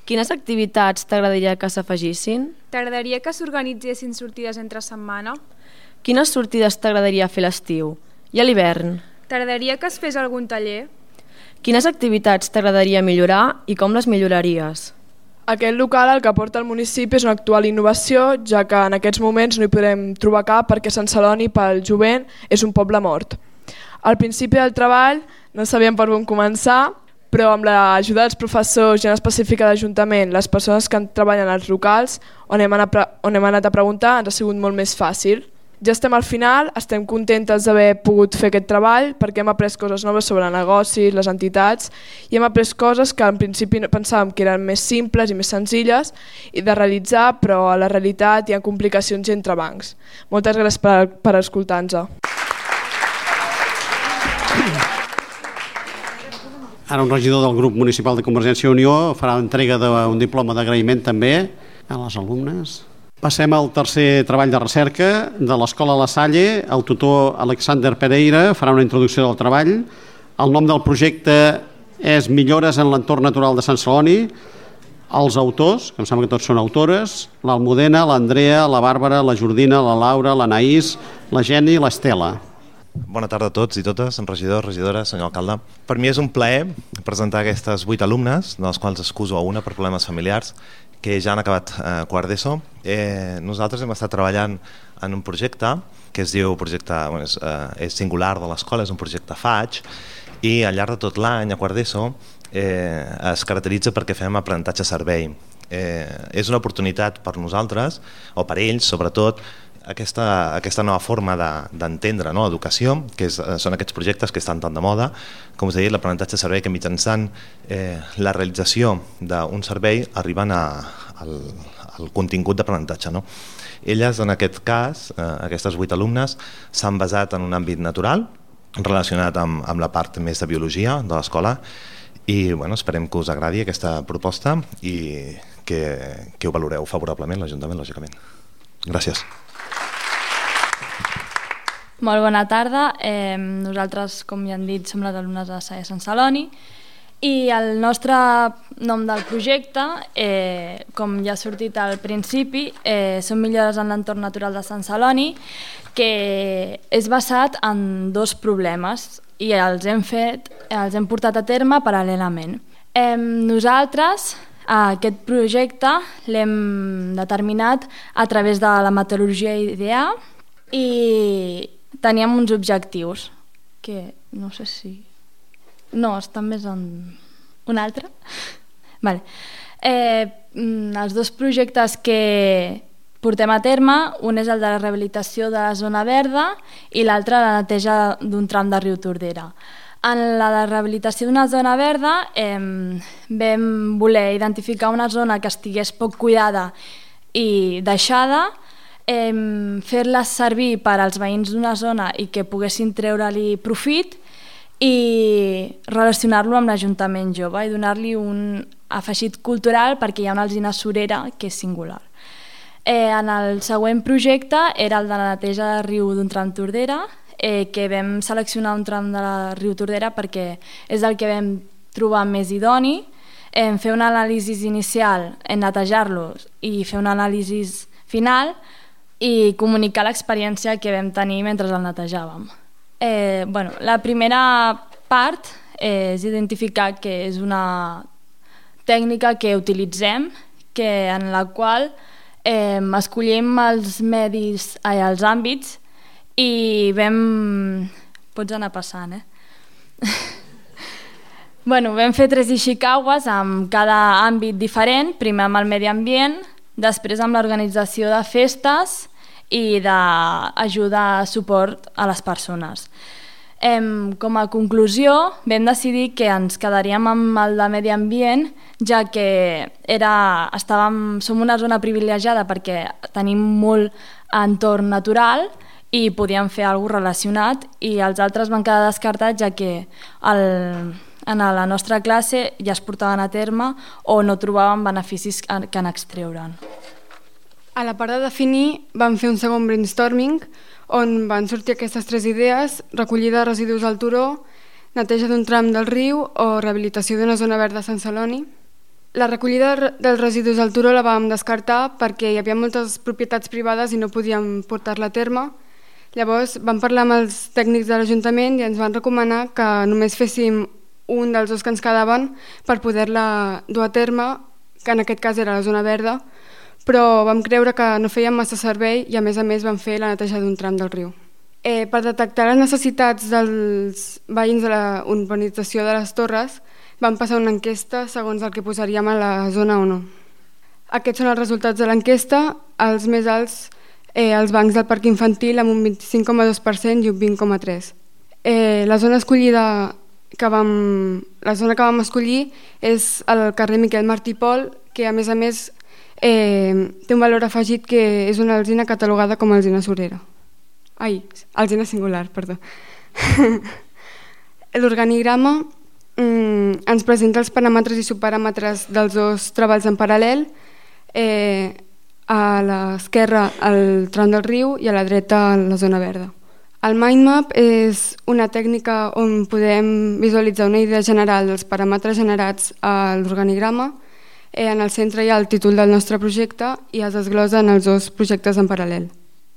Speaker 15: Quines activitats t'agradaria que s'afegissin?
Speaker 12: T'agradaria que s'organitzessin sortides entre setmana?
Speaker 15: Quines sortides t'agradaria fer l'estiu? I a l'hivern?
Speaker 12: T'agradaria que es fes algun taller?
Speaker 15: Quines activitats t'agradaria millorar i com les milloraries?
Speaker 8: Aquest local el que aporta al municipi és una actual innovació, ja que en aquests moments no hi podem trobar cap perquè Sant Celoni pel jovent és un poble mort. Al principi del treball no sabíem per on començar, però amb l'ajuda dels professors i en específic de l'Ajuntament, les persones que treballen als locals on hem anat, on hem anat a preguntar, ens ha sigut molt més fàcil. Ja estem al final, estem contentes d'haver pogut fer aquest treball perquè hem après coses noves sobre negocis, les entitats, i hem après coses que en principi pensàvem que eren més simples i més senzilles i de realitzar, però a la realitat hi ha complicacions entre bancs. Moltes gràcies per, per escoltar-nos.
Speaker 1: Ara un regidor del grup municipal de Convergència i Unió farà entrega d'un diploma d'agraïment també a les alumnes. Passem al tercer treball de recerca de l'Escola La Salle. El tutor Alexander Pereira farà una introducció del treball. El nom del projecte és Millores en l'entorn natural de Sant Celoni. Els autors, que em sembla que tots són autores, l'Almudena, l'Andrea, la Bàrbara, la Jordina, la Laura, l'Anaïs, la Geni i l'Estela.
Speaker 16: Bona tarda a tots i totes, regidors, regidores, senyor alcalde. Per mi és un plaer presentar aquestes vuit alumnes, de les quals excuso a una per problemes familiars, que ja han acabat eh, quart d'ESO. Eh, nosaltres hem estat treballant en un projecte que es diu projecte, bueno, és, eh, és singular de l'escola, és un projecte F A G, i al llarg de tot l'any, a quart d'ESO, eh, es caracteritza perquè fem aprenentatge-servei. Eh, és una oportunitat per nosaltres, o per ells sobretot, Aquesta, aquesta nova forma d'entendre de, no, l'educació, que és, són aquests projectes que estan tan de moda, com us he dit, l'aprenentatge de servei, que mitjançant eh, la realització d'un servei arriben a, al, al contingut d'aprenentatge. No? Elles, en aquest cas, eh, aquestes vuit alumnes, s'han basat en un àmbit natural, relacionat amb, amb la part més de biologia de l'escola, i bueno, esperem que us agradi aquesta proposta i que, que ho valoreu favorablement l'Ajuntament, lògicament. Gràcies.
Speaker 17: Molt bona tarda. Eh, nosaltres, com ja han dit, som les alumnes de Salle Sant Celoni i el nostre nom del projecte, eh, com ja ha sortit al principi, eh, són Millores en l'entorn natural de Sant Celoni, que és basat en dos problemes i els hem, fet, els hem portat a terme paral·lelament. Eh, nosaltres aquest projecte l'hem determinat a través de la meteorologia ideal i teníem uns objectius que no sé si... No, estan més en... Un altre? Vale. Eh, els dos projectes que portem a terme, un és el de la rehabilitació de la zona verda i l'altre la neteja d'un tram de riu Tordera. En la de rehabilitació d'una zona verda eh, vam voler identificar una zona que estigués poc cuidada i deixada, eh, fer-la servir per als veïns d'una zona i que poguessin treure-li profit i relacionar-lo amb l'Ajuntament jove i donar-li un afegit cultural perquè hi ha una alzina surera que és singular. Eh, en el següent projecte era el de la neteja de riu d'un tram Tordera, eh, que vam seleccionar un tram de la riu Tordera perquè és el que vam trobar més idoni, eh, fer una anàlisi inicial en netejar-los i fer una anàlisi final i comunicar l'experiència que vam tenir mentre el netejàvem. Eh, bueno, la primera part eh, és identificar que és una tècnica que utilitzem, que en la qual eh, escollim els medis, ai, els àmbits i vam... Pots anar passant, eh? bueno, vam fer tres Ishikawes amb cada àmbit diferent, primer amb el medi ambient, després amb l'organització de festes i d'ajudar a suport a les persones. Em, com a conclusió, vam decidir que ens quedaríem amb el de medi ambient, ja que era, estàvem, som una zona privilegiada perquè tenim molt entorn natural i podíem fer alguna cosa relacionat, i els altres van quedar descartats ja que el, en la nostra classe ja es portaven a terme o no trobàvem beneficis que en extreure'n.
Speaker 18: A la part de definir vam fer un segon brainstorming on van sortir aquestes tres idees: recollida de residus al turó, neteja d'un tram del riu o rehabilitació d'una zona verda a Sant Celoni. La recollida dels residus al turó la vam descartar perquè hi havia moltes propietats privades i no podíem portar-la a terme. Llavors vam parlar amb els tècnics de l'Ajuntament i ens van recomanar que només féssim un dels dos que ens quedaven per poder-la dur a terme que en aquest cas era la zona verda, però vam creure que no feien massa servei i a més a més vam fer la neteja d'un tram del riu. Eh, per detectar les necessitats dels veïns de la urbanització de les Torres vam passar una enquesta segons el que posaríem a la zona o no. Aquests són els resultats de l'enquesta, els més alts eh, els bancs del parc infantil amb un vint-i-cinc coma dos per cent i un vint coma tres per cent. Eh, la zona escollida que vam, la zona que vam escollir és el carrer Miquel Martí i Pol, que a més a més eh, té un valor afegit que és una alzina catalogada com a alzina surera. Ai, alzina singular, perdó. L'organigrama mm, ens presenta els paràmetres i subparàmetres dels dos treballs en paral·lel, eh, a l'esquerra el tram del riu i a la dreta la zona verda. El mindmap és una tècnica on podem visualitzar una idea general dels paràmetres generats a l'organigrama. Eh, en el centre hi ha el títol del nostre projecte i es desglosen els dos projectes en paral·lel.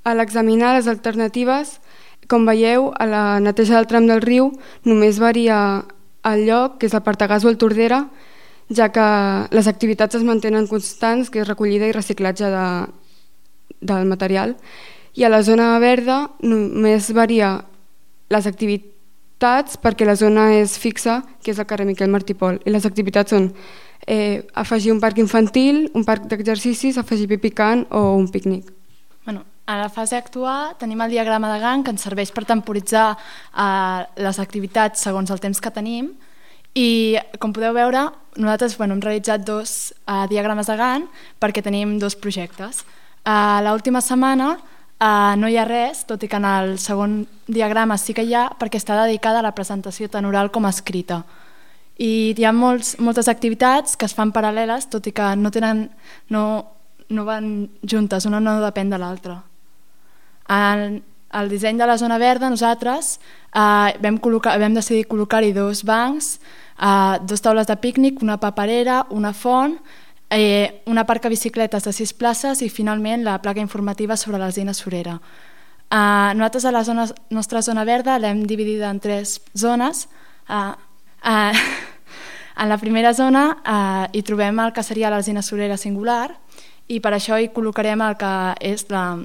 Speaker 18: A l'examinar les alternatives, com veieu, a la neteja del tram del riu només varia el lloc, que és el Partagàs o el Tordera, ja que les activitats es mantenen constants, que és recollida i reciclatge de, del material, i a la zona verda només varia les activitats perquè la zona és fixa, que és el carrer Miquel Martí i Pol, i les activitats són eh, afegir un parc infantil, un parc d'exercicis, afegir pi picant o un pícnic.
Speaker 12: Bueno, a la fase actual tenim el diagrama de Gantt que ens serveix per temporitzar eh, les activitats segons el temps que tenim i com podeu veure nosaltres bueno, hem realitzat dos eh, diagrames de Gantt perquè tenim dos projectes. Eh, l'última setmana Uh, no hi ha res, tot i que en el segon diagrama sí que hi ha, perquè està dedicada a la presentació tant oral com escrita. I hi ha molts, moltes activitats que es fan paral·leles, tot i que no, tenen, no, no van juntes, una no depèn de l'altra. En el disseny de la zona verda nosaltres uh, vam, col·locar, vam decidir col·locar-hi dos bancs, uh, dos taules de pícnic, una paperera, una font, Eh, una parc a bicicletes de sis places i finalment la placa informativa sobre l'alzina surera. Eh, nosaltres a la zona, nostra zona verda l'hem dividida en tres zones. Eh, eh, en la primera zona eh, hi trobem el que seria l'alzina surera singular i per això hi col·locarem el que és la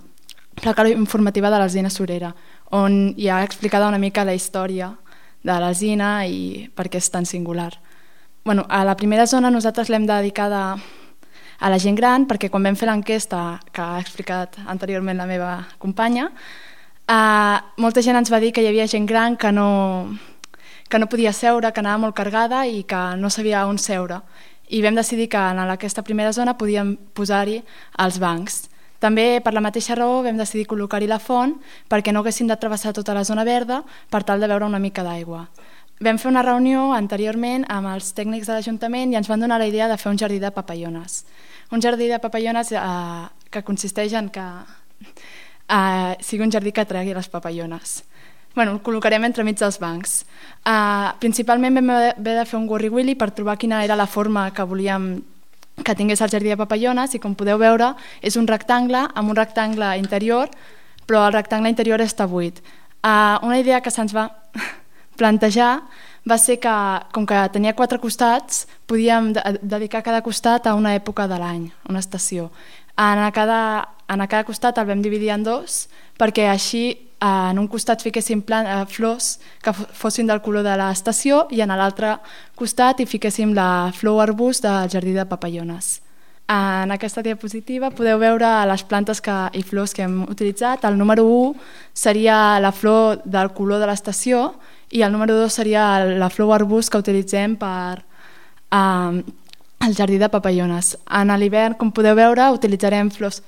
Speaker 12: placa informativa de l'alzina surera, on hi ha explicada una mica la història de l'alzina i per què és tan singular. Bueno, a la primera zona nosaltres l'hem dedicada a la gent gran perquè quan vam fer l'enquesta que ha explicat anteriorment la meva companya, eh, molta gent ens va dir que hi havia gent gran que no, que no podia seure, que anava molt carregada i que no sabia on seure. I vam decidir que en aquesta primera zona podíem posar-hi els bancs. També per la mateixa raó vam decidir col·locar-hi la font perquè no haguessin de travessar tota la zona verda per tal de veure una mica d'aigua. Vam fer una reunió anteriorment amb els tècnics de l'Ajuntament i ens van donar la idea de fer un jardí de papallones. Un jardí de papallones eh, que consisteix en que eh, sigui un jardí que atregui les papallones. Bueno, el col·locarem entremig dels bancs. Eh, principalment vam haver de fer un gorri-willy per trobar quina era la forma que volíem que tingués el jardí de papallones i com podeu veure és un rectangle amb un rectangle interior, però el rectangle interior està buit. Eh, una idea que se'ns va plantejar va ser que, com que tenia quatre costats, podíem dedicar cada costat a una època de l'any, una estació. En cada, en cada costat el vam dividir en dos, perquè així en un costat fiquéssim plant, eh, flors que fossin del color de l'estació i en l'altre costat hi fiquéssim la flor o arbust del jardí de papallones. En aquesta diapositiva podeu veure les plantes que, i flors que hem utilitzat. El número u seria la flor del color de l'estació i el número dos seria la flor o arbust que utilitzem per eh, el jardí de papallones. En l'hivern, com podeu veure, utilitzarem flors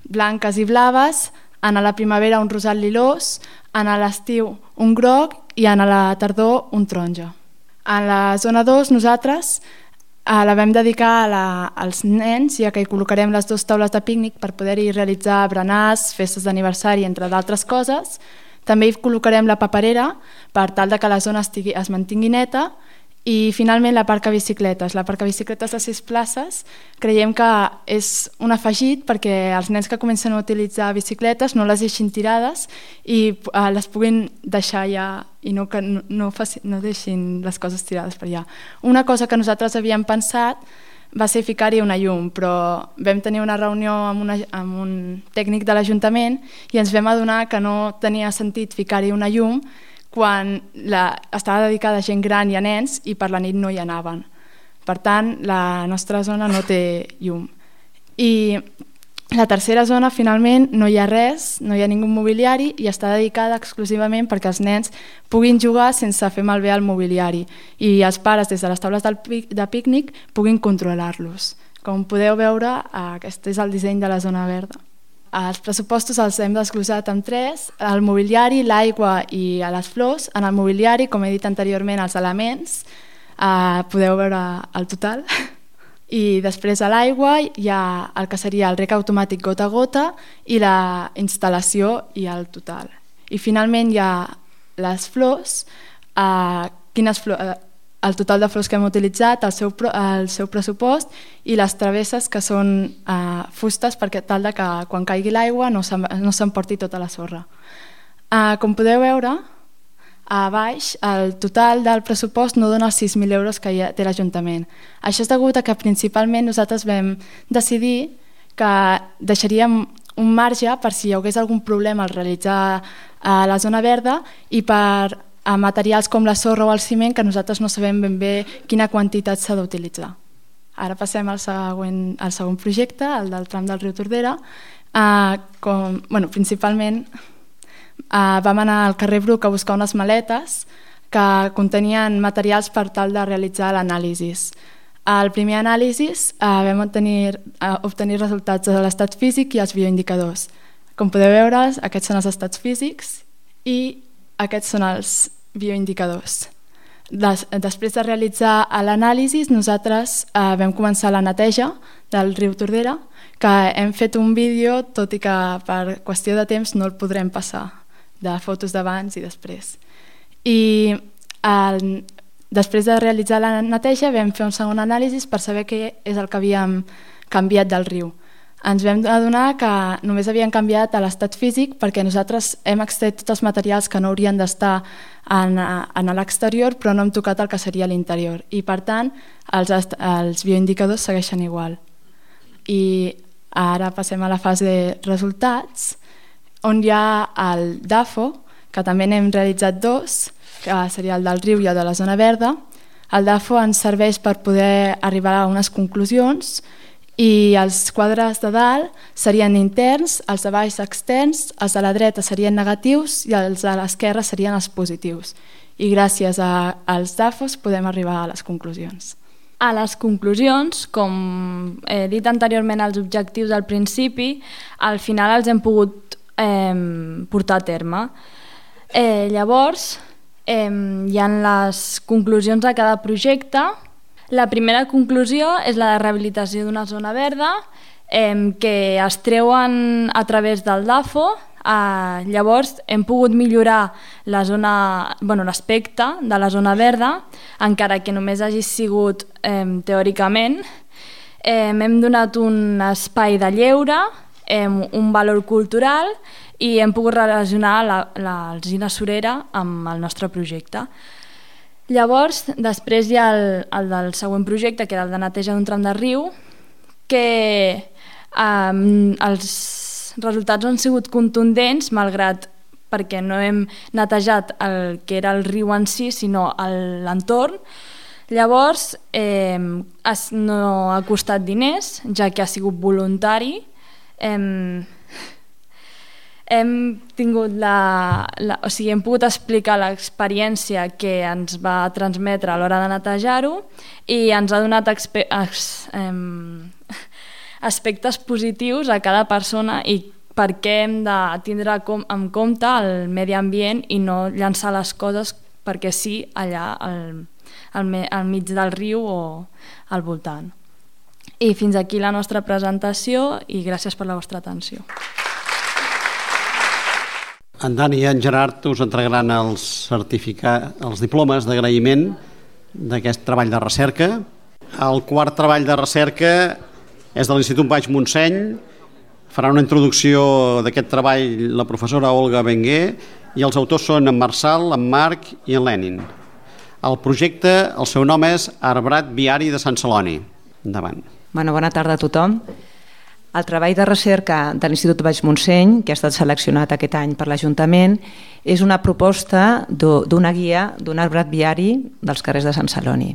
Speaker 12: blanques i blaves, en la primavera un rosat lilós, en l'estiu un groc i en la tardor un taronja. En la zona dos nosaltres eh, la vam dedicar a la, als nens, ja que hi col·locarem les dues taules de pícnic per poder-hi realitzar berenars, festes d'aniversari, entre d'altres coses. També hi col·locarem la paperera per tal que la zona estigui, es mantingui neta i finalment la parc a bicicletes. La parc a bicicletes de sis places creiem que és un afegit perquè els nens que comencen a utilitzar bicicletes no les deixin tirades i uh, les puguin deixar allà i no, no, no, faci, no deixin les coses tirades per allà. Una cosa que nosaltres havíem pensat va ser ficar-hi una llum, però vam tenir una reunió amb, una, amb un tècnic de l'Ajuntament i ens vam adonar que no tenia sentit ficar-hi una llum quan la, estava dedicada a gent gran i a nens i per la nit no hi anaven. Per tant, la nostra zona no té llum. I la tercera zona, finalment, no hi ha res, no hi ha ningú mobiliari i està dedicada exclusivament perquè els nens puguin jugar sense fer malbé el mobiliari i els pares, des de les taules de pícnic, puguin controlar-los. Com podeu veure, aquest és el disseny de la zona verda. Els pressupostos els hem desglosat en tres: el mobiliari, l'aigua i les flors. En el mobiliari, com he dit anteriorment, els elements, eh, podeu veure el total. I després a l'aigua hi ha el que seria el rec automàtic gota a gota i la instal·lació i el total. I finalment hi ha les flors, eh, quines flors, eh, el total de flors que hem utilitzat, el seu, el seu pressupost i les travesses que són eh, fustes perquè tal de que quan caigui l'aigua no s'emporti tota la sorra. Eh, com podeu veure, a baix, el total del pressupost no dona els sis mil euros que té l'Ajuntament. Això és degut a que principalment nosaltres vam decidir que deixaríem un marge per si hi hagués algun problema al realitzar a la zona verda i per a materials com la sorra o el ciment que nosaltres no sabem ben bé quina quantitat s'ha d'utilitzar. Ara passem al següent, al segon projecte, el del tram del riu Tordera. Eh, com, bueno, principalment Uh, vam anar al carrer Bruc a buscar unes maletes que contenien materials per tal de realitzar l'anàlisi. Al primer anàlisi uh, vam obtenir, uh, obtenir resultats de l'estat físic i els bioindicadors. Com podeu veure, aquests són els estats físics i aquests són els bioindicadors. Des, després de realitzar l'anàlisi, nosaltres uh, vam començar la neteja del riu Tordera, que hem fet un vídeo, tot i que per qüestió de temps no el podrem passar, de fotos d'abans i després. I el, després de realitzar la neteja vam fer un segon anàlisi per saber què és el que havíem canviat del riu. Ens vam adonar que només havien canviat a l'estat físic perquè nosaltres hem extret tots els materials que no haurien d'estar en, en l'exterior però no hem tocat el que seria l'interior i per tant els, els bioindicadors segueixen igual. I ara passem a la fase de resultats, on hi ha el D A F O, que també n'hem realitzat dos, que seria el del riu i el de la zona verda. El D A F O ens serveix per poder arribar a unes conclusions i els quadres de dalt serien interns, els de baix externs, els de la dreta serien negatius i els de l'esquerra serien els positius. I gràcies a, als D A F Os podem arribar a les conclusions.
Speaker 17: A les conclusions, com he dit anteriorment als objectius al principi, al final els hem pogut eh, portar a terme. Eh, llavors, eh, hi ha les conclusions de cada projecte. La primera conclusió és la de rehabilitació d'una zona verda eh, que es treuen a través del D A F O. Eh, llavors hem pogut millorar la zona, bueno, l'aspecte de la zona verda, encara que només hagi sigut eh, teòricament. Eh, hem donat un espai de lleure, eh, un valor cultural i hem pogut relacionar l'alzina surera amb el nostre projecte. Llavors, després hi ha el, el del següent projecte, que era el de neteja d'un tram de riu, que eh, els resultats han sigut contundents, malgrat perquè no hem netejat el que era el riu en si, sinó l'entorn. Llavors, eh, no ha costat diners, ja que ha sigut voluntari. Eh, hem tingut la, la, o sigui, hem pogut explicar l'experiència que ens va transmetre a l'hora de netejar-ho i ens ha donat expe, ex, eh, aspectes positius a cada persona i per què hem de tindre en compte el medi ambient i no llançar les coses perquè sí allà al, al, al mig del riu o al voltant. I fins aquí la nostra presentació i gràcies per la vostra atenció.
Speaker 1: En Dani i en Gerard us entregaran els, certificats, els diplomes d'agraïment d'aquest treball de recerca. El quart treball de recerca és de l'Institut Baix Montseny. Farà una introducció d'aquest treball la professora Olga Benguer i els autors són en Marçal, en Marc i en Lenin. El projecte, el seu nom és Arbrat Viari de Sant Celoni. Endavant.
Speaker 19: Bueno, bona tarda a tothom. El treball de recerca de l'Institut Baix Montseny, que ha estat seleccionat aquest any per l'Ajuntament, és una proposta d'una guia d'un arbrat viari dels carrers de Sant Celoni.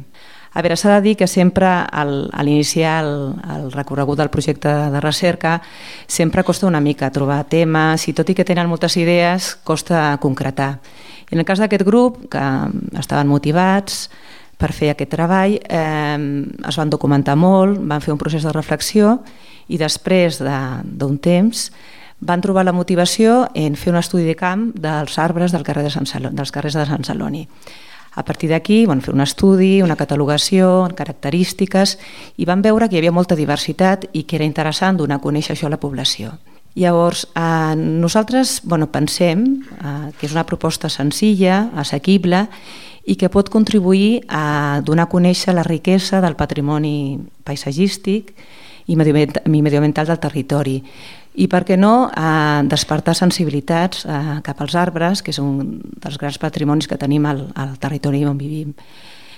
Speaker 19: A veure, s'ha de dir que sempre al, a l'iniciar el, el recorregut del projecte de recerca sempre costa una mica trobar temes i tot i que tenen moltes idees costa concretar. I en el cas d'aquest grup, que estaven motivats per fer aquest treball, eh, es van documentar molt, van fer un procés de reflexió i després d'un temps van trobar la motivació en fer un estudi de camp dels arbres del carrer de Sant Celoni, dels carrers de Sant Celoni. A partir d'aquí van fer un estudi, una catalogació, característiques, i van veure que hi havia molta diversitat i que era interessant donar a conèixer això a la població. Llavors, eh, nosaltres bueno, pensem eh, que és una proposta senzilla, assequible, i que pot contribuir a donar a conèixer la riquesa del patrimoni paisatgístic i medioambiental del territori. I, per què no, eh, despertar sensibilitats eh, cap als arbres, que és un dels grans patrimonis que tenim al, al territori on vivim.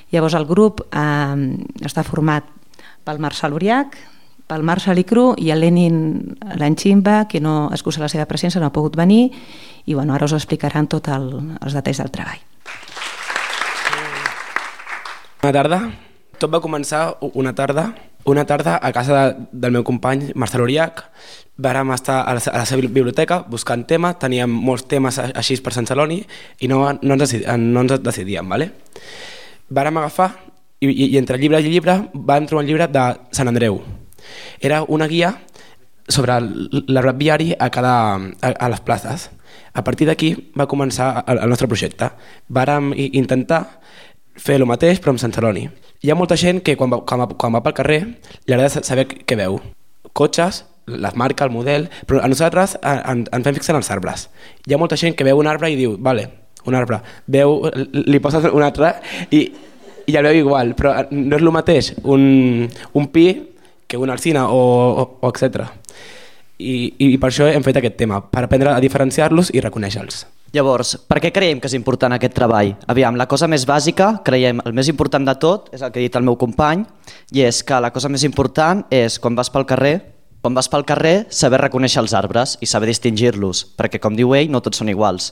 Speaker 19: Llavors, el grup eh, està format pel Marçal Uriach, pel Marçal Icru i el Lenin Lanchimba, que no excusa la seva presència, no ha pogut venir, i bueno, ara us explicaran tots el, els detalls del treball.
Speaker 20: Bona tarda. Tot va començar una tarda, una tarda a casa de, del meu company Marçal Uriach. Vàrem estar a la, a la seva biblioteca buscant temes, teníem molts temes així per Sant Celoni i no, no, ens, no ens decidíem. Vale? Vàrem agafar i, i, i entre llibre i llibre vam trobar un llibre de Sant Andreu. Era una guia sobre l'arbrat viari a, cada, a, a les places. A partir d'aquí va començar el, el nostre projecte. Vàrem intentar fer el mateix però amb Sant Celoni. Hi ha molta gent que quan va, quan va, quan va pel carrer li agrada saber què veu. Cotxes, les marques, el model, però a nosaltres en, ens fem fixar en els arbres. Hi ha molta gent que veu un arbre i diu, vale, un arbre, veu, li poses un altre i, i el veu igual, però no és el mateix un, un pi que una alzina o, o, o etcètera. I, I per això hem fet aquest tema, per aprendre a diferenciar-los i reconèixer-los.
Speaker 21: Llavors, per què creiem que és important aquest treball? Aviam, la cosa més bàsica, creiem, el més important de tot, és el que ha dit el meu company, i és que la cosa més important és, quan vas pel carrer, quan vas pel carrer, saber reconèixer els arbres i saber distingir-los, perquè, com diu ell, no tots són iguals.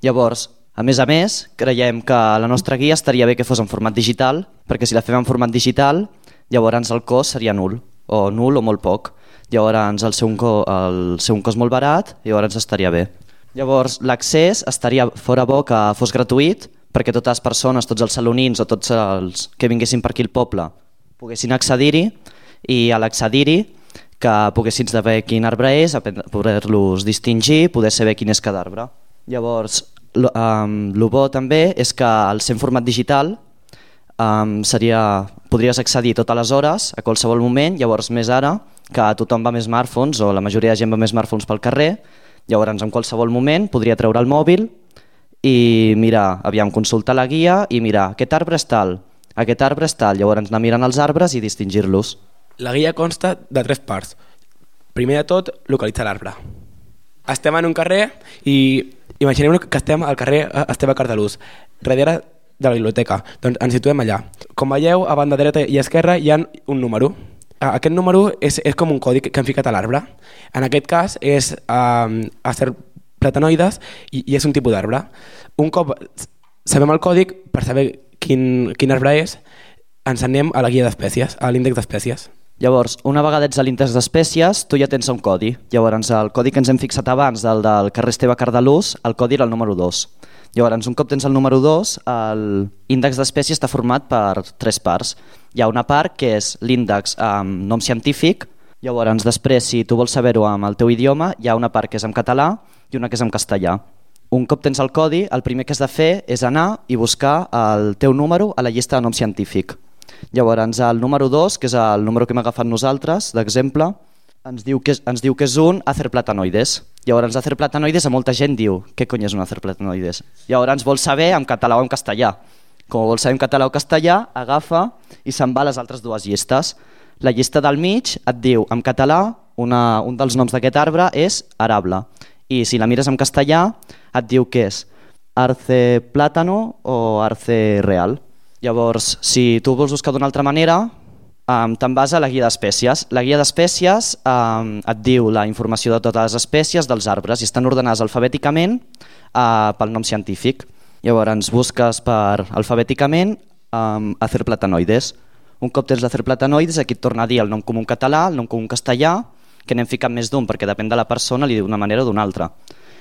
Speaker 21: Llavors, a més a més, creiem que la nostra guia estaria bé que fos en format digital, perquè si la fem en format digital, llavors el cost seria nul, o nul o molt poc. Llavors el seu, el seu cost molt barat, llavors estaria bé. Llavors, l'accés estaria fora bo que fos gratuït perquè totes les persones, tots els salonins o tots els que vinguessin per aquí al poble poguessin accedir-hi i a l'accedir-hi que poguessin saber quin arbre és, poder-los distingir, poder saber quin és cada arbre. Llavors, el um, bo també és que al ser en format digital um, seria, podries accedir totes les hores, a qualsevol moment, llavors més ara que tothom va amb smartphones o la majoria de gent va amb smartphones pel carrer. Llavors, en qualsevol moment, podria treure el mòbil i mirar, aviam, consultar la guia i mirar, aquest arbre és tal, aquest arbre és tal, llavors anar mirant els arbres i distingir-los.
Speaker 20: La guia consta de tres parts. Primer de tot, localitzar l'arbre. Estem en un carrer i imaginem que estem al carrer Esteve Cardalús, darrere de la biblioteca, doncs ens situem allà. Com veieu, a banda dreta i esquerra hi ha un número. Aquest número és, és com un codi que hem ficat a l'arbre. En aquest cas és um, acer platanoides i, i és un tipus d'arbre. Un cop sabem el codi, per saber quin, quin arbre és, ens anem a la guia d'espècies, a l'índex d'espècies.
Speaker 21: Llavors, una vegada ets a l'índex d'espècies, tu ja tens un codi. Llavors, el codi que ens hem fixat abans del, del carrer Esteve Cardalús, el codi era el número dos. Llavors, un cop tens el número dos, l'índex d'espècies està format per tres parts. Hi ha una part que és l'índex amb nom científic, llavors després, si tu vols saber-ho amb el teu idioma, hi ha una part que és en català i una que és en castellà. Un cop tens el codi, el primer que has de fer és anar i buscar el teu número a la llista de nom científic. Llavors, el número dos, que és el número que hem agafat nosaltres, d'exemple, ens diu que és, ens diu que és un acerplatanoides. Llavors, acerplatanoides a molta gent diu què cony és un acerplatanoides? Llavors vols saber en català o en castellà. Com vols saber en català o castellà, agafa i se'n va a les altres dues llistes. La llista del mig et diu en català, una, un dels noms d'aquest arbre és arable. I si la mires en castellà et diu que és arce plàtano o arce real. Llavors, si tu vols buscar d'una altra manera, Um, Te'n vas a la guia d'espècies. La guia d'espècies um, et diu la informació de totes les espècies dels arbres i estan ordenades alfabèticament uh, pel nom científic. Llavors busques per alfabèticament um, acerplatanoides. Un cop tens l'acerplatanoides, aquí et torna a dir el nom comú català, el nom comú castellà, que n'hem ficat més d'un perquè depèn de la persona, li diu d'una manera o d'una altra.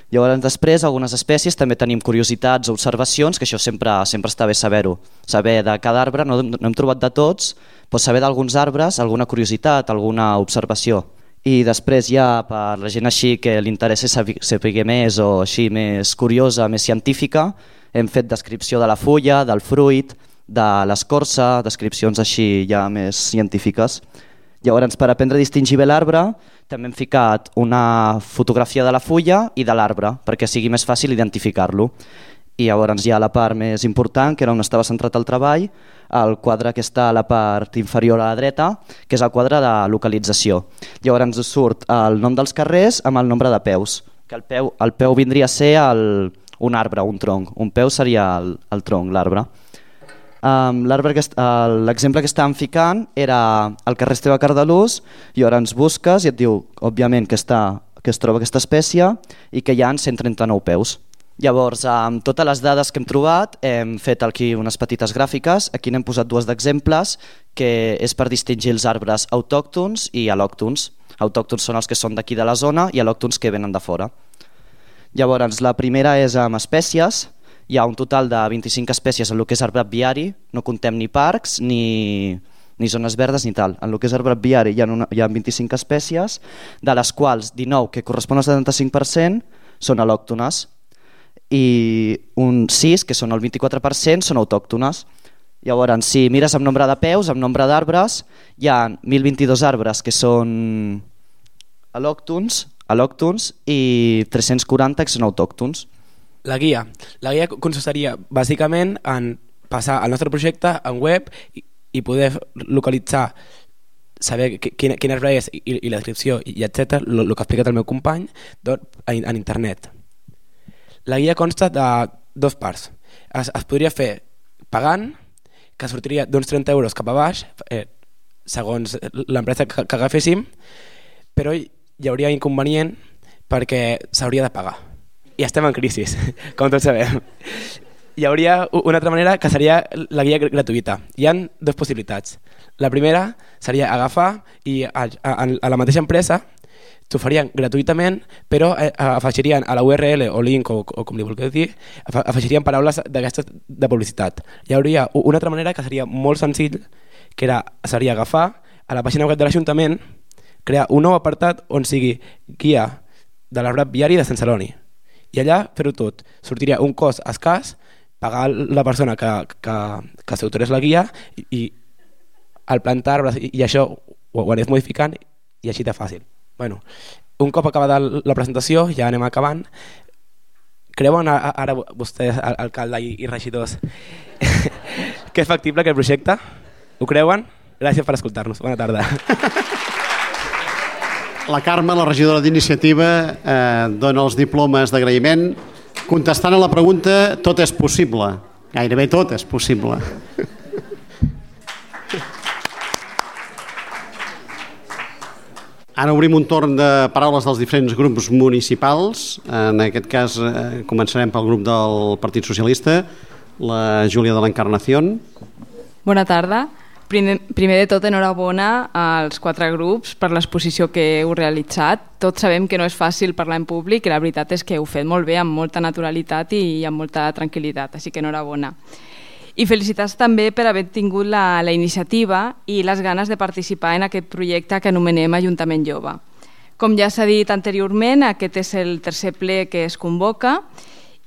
Speaker 21: Llavors després, algunes espècies també tenim curiositats o observacions, que això sempre, sempre està bé saber-ho. Saber de cada arbre, no, no hem trobat de tots, però saber d'alguns arbres, alguna curiositat, alguna observació. I després ja per la gent així que li interessa saber més o així més curiosa, més científica, hem fet descripció de la fulla, del fruit, de l'escorça, descripcions així ja més científiques. Llavors, per aprendre a distingir bé l'arbre, també hem ficat una fotografia de la fulla i de l'arbre, perquè sigui més fàcil identificar-lo. I llavors hi ha la part més important, que era on estava centrat el treball, el quadre que està a la part inferior a la dreta, que és el quadre de localització. Llavors ens surt el nom dels carrers amb el nombre de peus, que el peu, el peu vindria a ser el, un arbre, un tronc. Un peu seria el, el tronc, l'arbre. Um, L'exemple que estàvem ficant era el carrer Esteve Cardalús i ara ens busques i et diu, òbviament, que, està, que es troba aquesta espècie i que hi ha cent trenta-nou peus. Llavors, amb totes les dades que hem trobat, hem fet aquí unes petites gràfiques. Aquí n'hem posat dues d'exemples, que és per distingir els arbres autòctons i al·lòctons. Autòctons són els que són d'aquí de la zona i al·lòctons que venen de fora. Llavors, la primera és amb espècies. Hi ha un total de vint-i-cinc espècies en el que és arbrat viari, no contem ni parcs, ni, ni zones verdes ni tal. En el que és arbrat viari hi ha, una, hi ha vint-i-cinc espècies, de les quals dinou, que correspon al setanta-cinc per cent, són al·lòctones i un sis, que són el vint-i-quatre per cent, són autòctones. Llavors, si mires amb nombre de peus, amb nombre d'arbres, hi ha mil vint-i-dos arbres que són al·lòctons, al·lòctons i tres-cents quaranta que són autòctons.
Speaker 20: La guia. La guia consistiria bàsicament en passar el nostre projecte en web i, i poder localitzar, saber quin, quin arbre és i, i la descripció i etcètera, el que ha explicat el meu company en, en internet. La guia consta de dues parts. Es, es podria fer pagant, que sortiria d'uns trenta euros cap a baix, eh, segons l'empresa que, que agaféssim, però hi hauria inconvenient perquè s'hauria de pagar. I estem en crisi, com tots sabem. Hi hauria una altra manera que seria la guia gratuïta. Hi ha dues possibilitats. La primera seria agafar i a, a, a la mateixa empresa t'oferien gratuïtament, però afegirien a la U R L o link o, o com li vulgueu dir, afegirien paraules d'aquestes de publicitat. Hi hauria una altra manera que seria molt senzill, que era, seria agafar a la pàgina web de l'Ajuntament, crear un nou apartat on sigui guia de l'arbrat viari de Sant Celoni. I allà fer-ho tot. Sortiria un cost escàs, pagar la persona que, que, que s'autorés la guia i, i el plantar arbres i, i això ho, ho anés modificant i així de fàcil. Bueno, un cop acabada la presentació, ja anem acabant. Creuen ara vostès, alcalde i, i regidors, que és factible aquest projecte? Ho creuen? Gràcies per escoltar-nos. Bona tarda.
Speaker 1: La Carme, la regidora d'Iniciativa, eh, dona els diplomes d'agraïment. Contestant a la pregunta, tot és possible. Gairebé tot és possible. Ara obrim un torn de paraules dels diferents grups municipals. En aquest cas eh, començarem pel grup del Partit Socialista, la Júlia de l'Encarnación.
Speaker 2: Bona tarda. Primer, primer de tot, enhorabona als quatre grups per l'exposició que heu realitzat. Tots sabem que no és fàcil parlar en públic i la veritat és que heu fet molt bé, amb molta naturalitat i amb molta tranquil·litat, així que enhorabona. I felicitats també per haver tingut la, la iniciativa i les ganes de participar en aquest projecte que anomenem Ajuntament Jove. Com ja s'ha dit anteriorment, aquest és el tercer ple que es convoca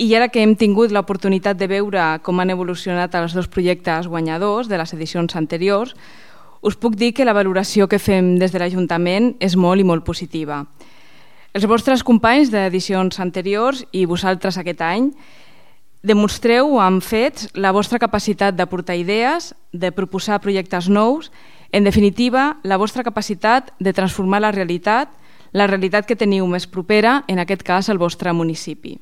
Speaker 2: i ara que hem tingut l'oportunitat de veure com han evolucionat els dos projectes guanyadors de les edicions anteriors, us puc dir que la valoració que fem des de l'Ajuntament és molt i molt positiva. Els vostres companys d'edicions anteriors i vosaltres aquest any demostreu amb fets la vostra capacitat d'aportar idees, de proposar projectes nous, en definitiva, la vostra capacitat de transformar la realitat, la realitat que teniu més propera, en aquest cas el vostre municipi.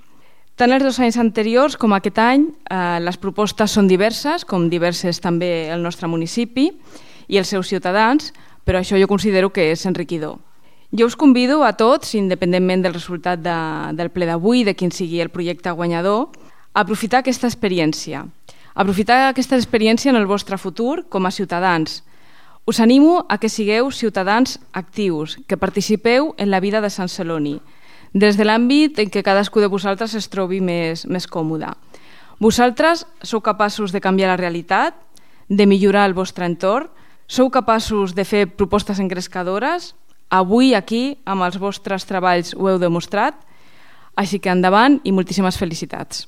Speaker 2: Tant els dos anys anteriors com aquest any, eh, les propostes són diverses, com diverses també el nostre municipi, i els seus ciutadans, però això jo considero que és enriquidor. Jo us convido a tots, independentment del resultat de, del ple d'avui, de quin sigui el projecte guanyador, a aprofitar aquesta experiència. Aprofitar aquesta experiència en el vostre futur com a ciutadans. Us animo a que sigueu ciutadans actius, que participeu en la vida de Sant Celoni, des de l'àmbit en què cadascú de vosaltres es trobi més, més còmode. Vosaltres sou capaços de canviar la realitat, de millorar el vostre entorn, sou capaços de fer propostes engrescadores. Avui aquí, amb els vostres treballs, ho heu demostrat, així que endavant i moltíssimes felicitats.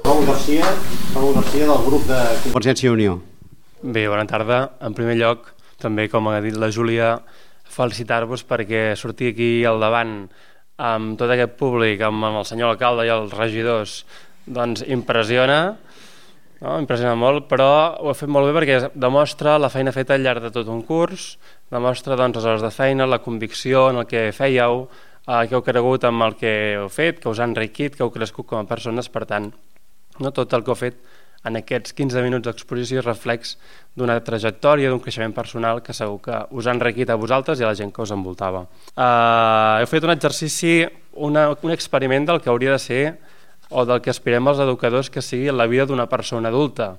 Speaker 1: Raül Garcia, Raül Garcia del grup de Convergència i Unió.
Speaker 5: Bé, bona tarda. En primer lloc, també, com ha dit la Júlia, felicitar-vos perquè sortir aquí al davant amb tot aquest públic, amb el senyor alcalde i els regidors, doncs impressiona, no? Impressiona molt, però ho ha fet molt bé perquè demostra la feina feta al llarg de tot un curs, demostra doncs, les hores de feina, la convicció en el que fèieu, eh, que heu cregut en el que heu fet, que us ha enriquit, que heu crescut com a persones, per tant, no tot el que heu fet en aquests quinze minuts d'exposició és reflex d'una trajectòria, d'un creixement personal que segur que us ha enriquit a vosaltres i a la gent que us envoltava. Uh, heu fet un exercici, una, un experiment del que hauria de ser o del que aspirem els educadors que sigui la vida d'una persona adulta.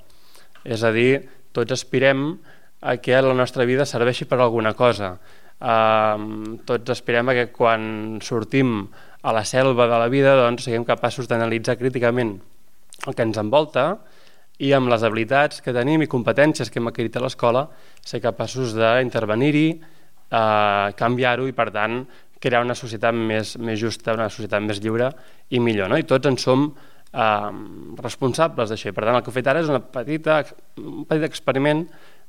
Speaker 5: És a dir, tots aspirem a que la nostra vida serveixi per alguna cosa. Uh, tots aspirem a que quan sortim a la selva de la vida doncs, siguem capaços d'analitzar críticament el que ens envolta i amb les habilitats que tenim i competències que hem adquirit a l'escola ser capaços d'intervenir-hi, eh, canviar-ho i, per tant, crear una societat més, més justa, una societat més lliure i millor. No? I tots en som eh, responsables d'això. Per tant, el que he fet ara és una petita, un petit experiment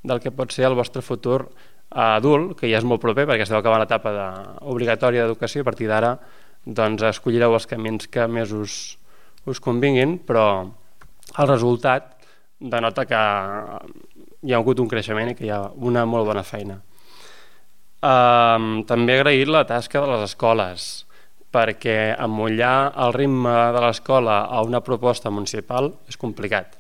Speaker 5: del que pot ser el vostre futur adult, que ja és molt proper perquè esteu acabant l'etapa de, obligatòria d'educació i a partir d'ara doncs, escollireu els camins que més us, us convinguin, però el resultat denota que hi ha hagut un creixement i que hi ha una molt bona feina. Um, també he agraït la tasca de les escoles, perquè emmotllar el ritme de l'escola a una proposta municipal és complicat.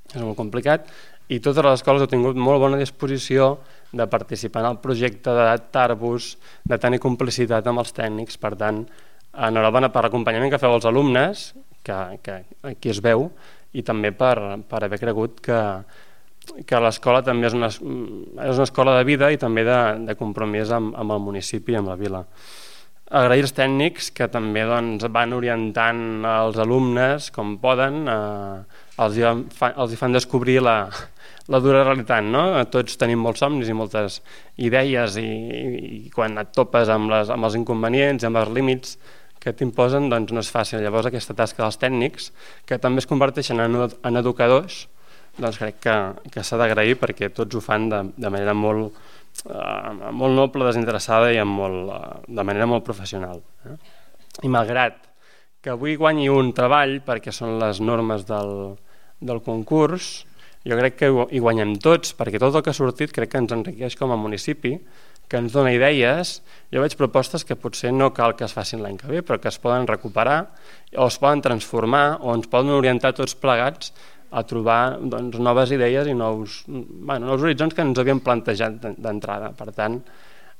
Speaker 5: És molt complicat i totes les escoles heu tingut molt bona disposició de participar en el projecte, d'adaptar-vos, de tenir complicitat amb els tècnics. Per tant, enhorabona per l'acompanyament que feu als alumnes, que, que aquí es veu, i també per, per haver cregut que, que l'escola també és una, és una escola de vida i també de, de compromís amb, amb el municipi i amb la vila. Agrair als tècnics que també doncs, van orientant els alumnes com poden, eh, els, hi fan, els hi fan descobrir la, la dura realitat. No? Tots tenim molts somnis i moltes idees i, i quan et topes amb, les, amb els inconvenients i amb els límits que t'imposen, doncs no és fàcil. Llavors aquesta tasca dels tècnics, que també es converteixen en, en educadors, doncs crec que, que s'ha d'agrair perquè tots ho fan de, de manera molt, uh, molt noble, desinteressada i amb molt, uh, de manera molt professional. Eh? I malgrat que avui guanyi un treball, perquè són les normes del, del concurs, jo crec que hi guanyem tots, perquè tot el que ha sortit crec que ens enriqueix com a municipi, que ens dona idees. Jo veig propostes que potser no cal que es facin l'any que ve, però que es poden recuperar o es poden transformar o ens poden orientar tots plegats a trobar doncs, noves idees i nous, bueno, nous horitzons que ens havíem plantejat d'entrada. Per tant,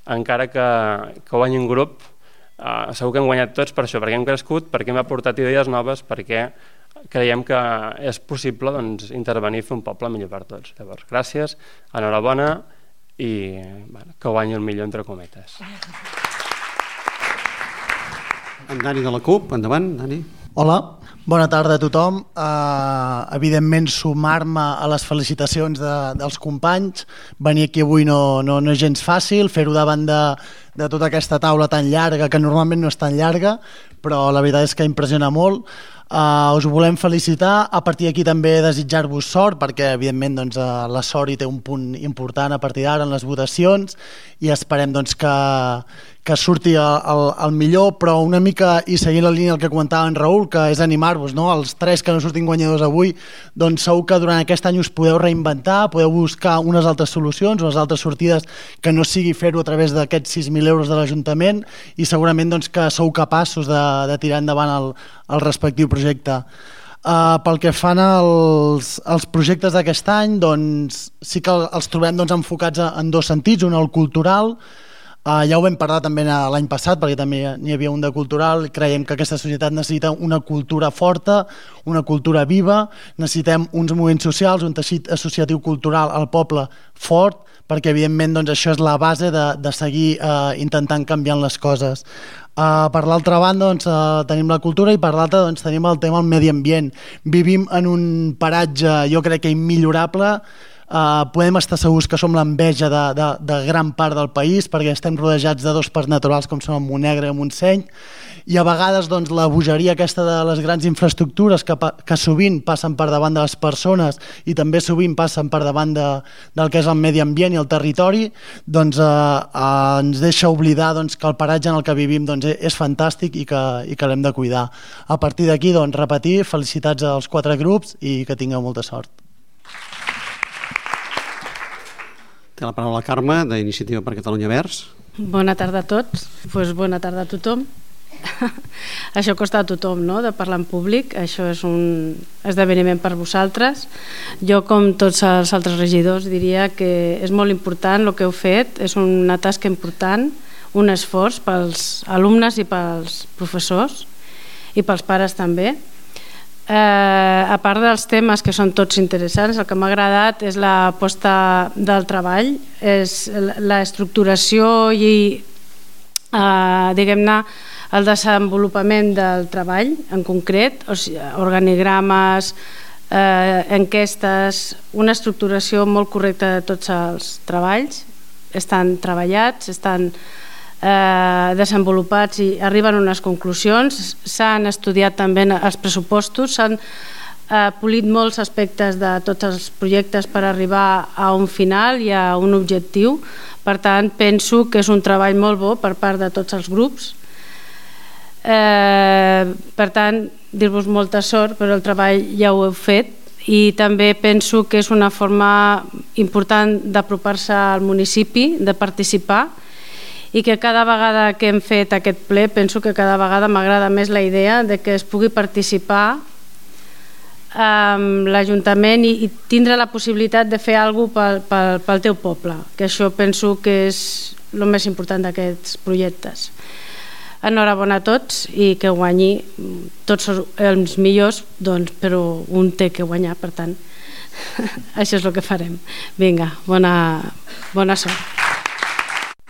Speaker 5: encara que, que guanyi un grup, eh, segur que hem guanyat tots per això, perquè hem crescut, perquè hem aportat idees noves, perquè creiem que és possible doncs, intervenir i fer un poble millor per tots. Llavors, gràcies, enhorabona, i bueno, que guanyi el millor entre cometes.
Speaker 1: En Dani de la CUP, endavant, Dani.
Speaker 3: Hola, bona tarda a tothom. Uh, evidentment, sumar-me a les felicitacions de, dels companys. Venir aquí avui no, no, no és gens fàcil, fer-ho davant de, de tota aquesta taula tan llarga, que normalment no és tan llarga, però la veritat és que impressiona molt. Uh, us volem felicitar, a partir d'aquí també desitjar-vos sort, perquè evidentment doncs, uh, la sort hi té un punt important a partir d'ara en les votacions i esperem doncs, que, que surti el, el, el millor, però una mica, i seguint la línia del que comentava en Raül, que és animar-vos, no? Els tres que no surtin guanyadors avui, doncs segur que durant aquest any us podeu reinventar, podeu buscar unes altres solucions, unes altres sortides que no sigui fer-ho a través d'aquests sis mil euros de l'Ajuntament i segurament doncs, que sou capaços de, de tirar endavant el, el respectiu projecte. Uh, pel que fan als, als projectes d'aquest any, doncs, sí que els trobem doncs, enfocats en dos sentits, un el cultural. Uh, ja ho vam parlar també l'any passat, perquè també n'hi havia un de cultural. Creiem que aquesta societat necessita una cultura forta, una cultura viva, necessitem uns moviments socials, un teixit associatiu cultural al poble fort, perquè evidentment doncs, això és la base de, de seguir uh, intentant canviant les coses. Uh, per l'altra banda doncs, uh, tenim la cultura i per l'altra doncs, tenim el tema del medi ambient. Vivim en un paratge, jo crec que immillorable. Uh, podem estar segurs que som l'enveja de, de, de gran part del país perquè estem rodejats de dos parcs naturals com són el Montnegre i el Montseny, i a vegades doncs, la bogeria aquesta de les grans infraestructures que, que sovint passen per davant de les persones i també sovint passen per davant de, del que és el medi ambient i el territori, doncs uh, uh, ens deixa oblidar doncs, que el paratge en el que vivim doncs, és fantàstic i que, i que l'hem de cuidar. A partir d'aquí, doncs, repetir, felicitats als quatre grups i que tingueu molta sort.
Speaker 1: Té la paraula Carme, d'Iniciativa per Catalunya Verds.
Speaker 4: Bona tarda a tots. Pues bona tarda a tothom. Això costa a tothom, no?, de parlar en públic. Això és un esdeveniment per vosaltres. Jo, com tots els altres regidors, diria que és molt important el que heu fet. És una tasca important, un esforç pels alumnes i pels professors i pels pares també. Eh, a part dels temes que són tots interessants, el que m'ha agradat és la posta del treball, és l'estructuració i eh, diguem-ne el desenvolupament del treball en concret, o sigui, organigrames, eh, enquestes, una estructuració molt correcta de tots els treballs, estan treballats, estan Eh, desenvolupats i arriben a unes conclusions. S'han estudiat també els pressupostos, s'han eh, polit molts aspectes de tots els projectes per arribar a un final i a un objectiu. Per tant, penso que és un treball molt bo per part de tots els grups. Eh, per tant, dir-vos molta sort, però el treball ja ho heu fet i també penso que és una forma important d'apropar-se al municipi, de participar, i que cada vegada que hem fet aquest ple penso que cada vegada m'agrada més la idea de que es pugui participar amb l'Ajuntament i, i tindre la possibilitat de fer alguna cosa pel, pel, pel teu poble, que això penso que és el més important d'aquests projectes. Enhorabona a tots i que guanyi tots els millors, doncs, però un té que guanyar, per tant això és el que farem. Vinga, bona, bona sort.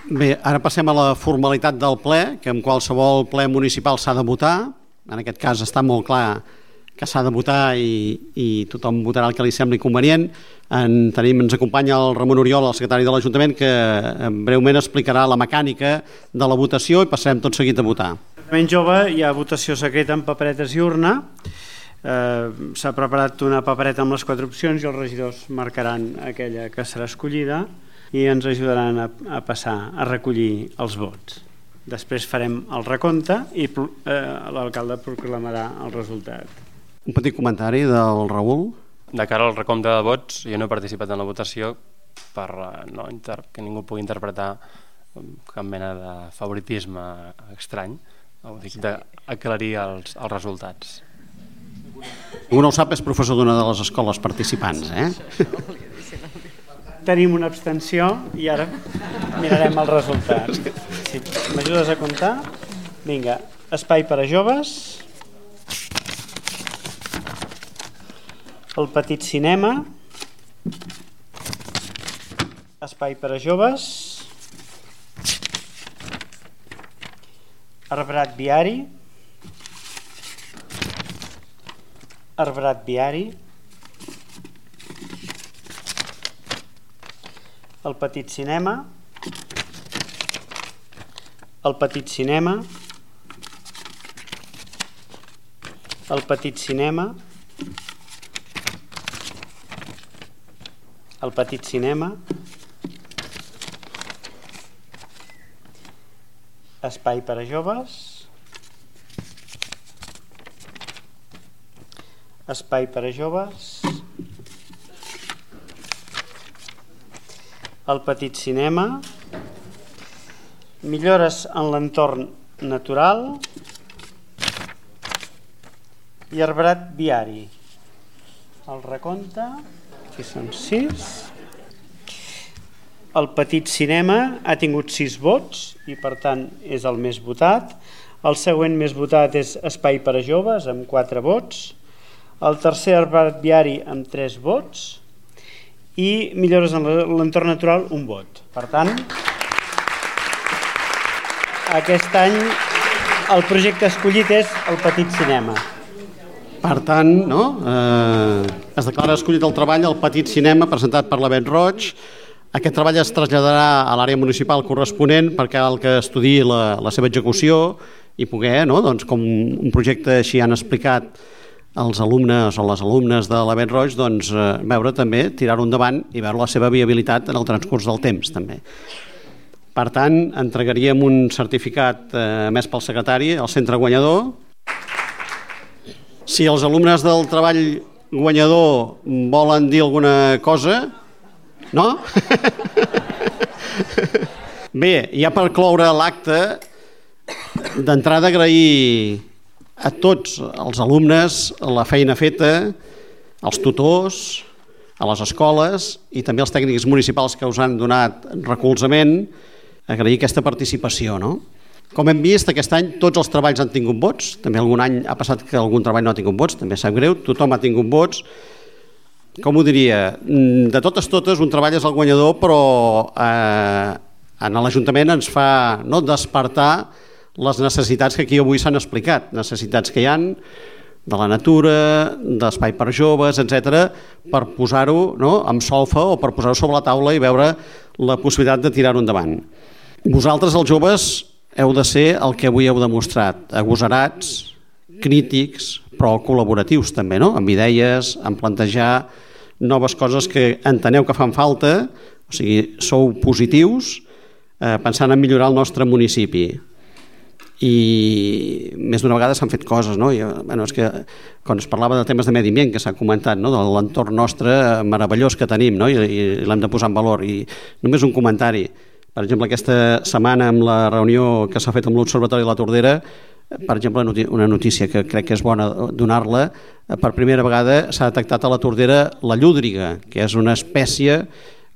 Speaker 1: Bé, ara passem a la formalitat del ple, que en qualsevol ple municipal s'ha de votar. En aquest cas està molt clar que s'ha de votar i, i tothom votarà el que li sembli convenient. En tenim, ens acompanya el Ramon Oriol, el secretari de l'Ajuntament, que breument explicarà la mecànica de la votació i passarem tot seguit a votar.
Speaker 22: L'Ajuntament Jove hi ha votació secreta amb paperetes i urna. Eh, s'ha preparat una papereta amb les quatre opcions i els regidors marcaran aquella que serà escollida i ens ajudaran a, a passar a recollir els vots. Després farem el recompte i eh, l'alcalde proclamarà el resultat.
Speaker 1: Un petit comentari del Raül.
Speaker 23: De cara al recompte de vots, jo no he participat en la votació per no, que ningú pugui interpretar cap mena de favoritisme estrany. Ho dic d'aclarir els, els resultats.
Speaker 1: Un no ho sap, és professor d'una de les escoles participants, eh?
Speaker 22: Tenim una abstenció i ara mirarem el resultat. Sí, m'ajudes a comptar? Vinga, espai per a joves, el petit cinema, espai per a joves, arbrat viari, arbrat viari, el petit cinema, el petit cinema, el petit cinema, el petit cinema, espai per a joves, espai per a joves, el petit cinema, millores en l'entorn natural, i arbrat viari. El recompte, aquí són sis. El petit cinema ha tingut sis vots i per tant és el més votat. El següent més votat és Espai per a joves amb quatre vots. El tercer arbrat viari amb tres vots i millores en l'entorn natural un vot. Per tant, aquest any el projecte escollit és el petit cinema.
Speaker 1: Per tant, no? eh, es declara escollit el treball al petit cinema presentat per la Bet Roig. Aquest treball es traslladarà a l'àrea municipal corresponent perquè cal que estudiï la, la seva execució i poder, no? Doncs, com un projecte així han explicat els alumnes o les alumnes de la Bet Roig, doncs, eh, veure també, tirar-ho endavant i veure la seva viabilitat en el transcurs del temps també. Per tant, entregaríem un certificat eh, emès pel secretari al centre guanyador. Si els alumnes del treball guanyador volen dir alguna cosa, no? Bé, ja per cloure l'acte, d'entrada agrair a tots els alumnes la feina feta, als tutors, a les escoles i també als tècnics municipals que us han donat recolzament, agrair aquesta participació, no? Com hem vist, aquest any tots els treballs han tingut vots, també algun any ha passat que algun treball no ha tingut vots, també sap greu, tothom ha tingut vots. Com ho diria, de totes totes un treball és el guanyador, però eh, en l'Ajuntament ens fa no, despertar les necessitats que aquí avui s'han explicat, necessitats que hi han de la natura, d'espai per joves, etcètera, per posar-ho no, amb solfa o per posar-ho sobre la taula i veure la possibilitat de tirar-ho endavant. Vosaltres, els joves, heu de ser el que avui heu demostrat, agosarats, crítics, però col·laboratius també, no? Amb idees, amb plantejar noves coses que enteneu que fan falta, o sigui, sou positius, eh, pensant en millorar el nostre municipi. I més d'una vegada s'han fet coses, no? I, bueno, és que quan es parlava de temes de medi ambient, que s'ha comentat, no? De l'entorn nostre meravellós que tenim, no? I, i l'hem de posar en valor. I només un comentari. Per exemple, aquesta setmana amb la reunió que s'ha fet amb l'Observatori de la Tordera, per exemple, una notícia que crec que és bona donar-la, per primera vegada s'ha detectat a la Tordera la llúdriga, que és una espècie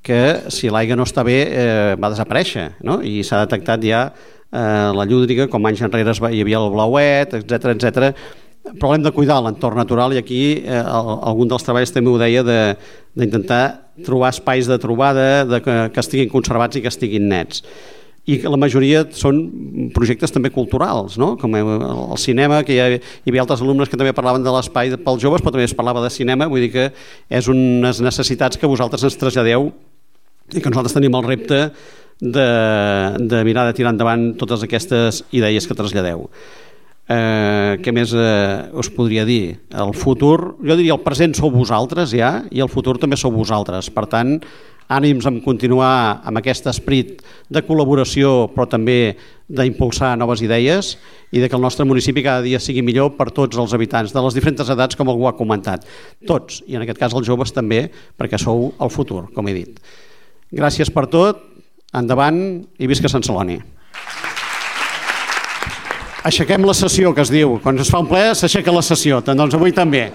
Speaker 1: que si l'aigua no està bé eh, va desaparèixer, no? I s'ha detectat ja eh, la llúdriga, com anys enrere hi havia el blauet, etcètera, etcètera. Però hem de cuidar l'entorn natural i aquí eh, algun dels treballs també ho deia d'intentar trobar espais de trobada de que, que estiguin conservats i que estiguin nets. I la majoria són projectes també culturals, no? Com el cinema, que hi, ha, hi havia altres alumnes que també parlaven de l'espai pels joves, però també es parlava de cinema, vull dir que és unes necessitats que vosaltres ens traslladeu i que nosaltres tenim el repte de, de mirar de tirar endavant totes aquestes idees que traslladeu. Eh, què més eh, us podria dir? El futur, jo diria el present sou vosaltres ja i el futur també sou vosaltres, per tant ànims en continuar amb aquest esperit de col·laboració però també d'impulsar noves idees i de que el nostre municipi cada dia sigui millor per tots els habitants de les diferents edats, com algú ha comentat, tots, i en aquest cas els joves també, perquè sou el futur, com he dit. Gràcies per tot, endavant i visca Sant Celoni. Aixequem la sessió, que es diu. Quan es fa un ple s'aixeca la sessió, doncs avui també.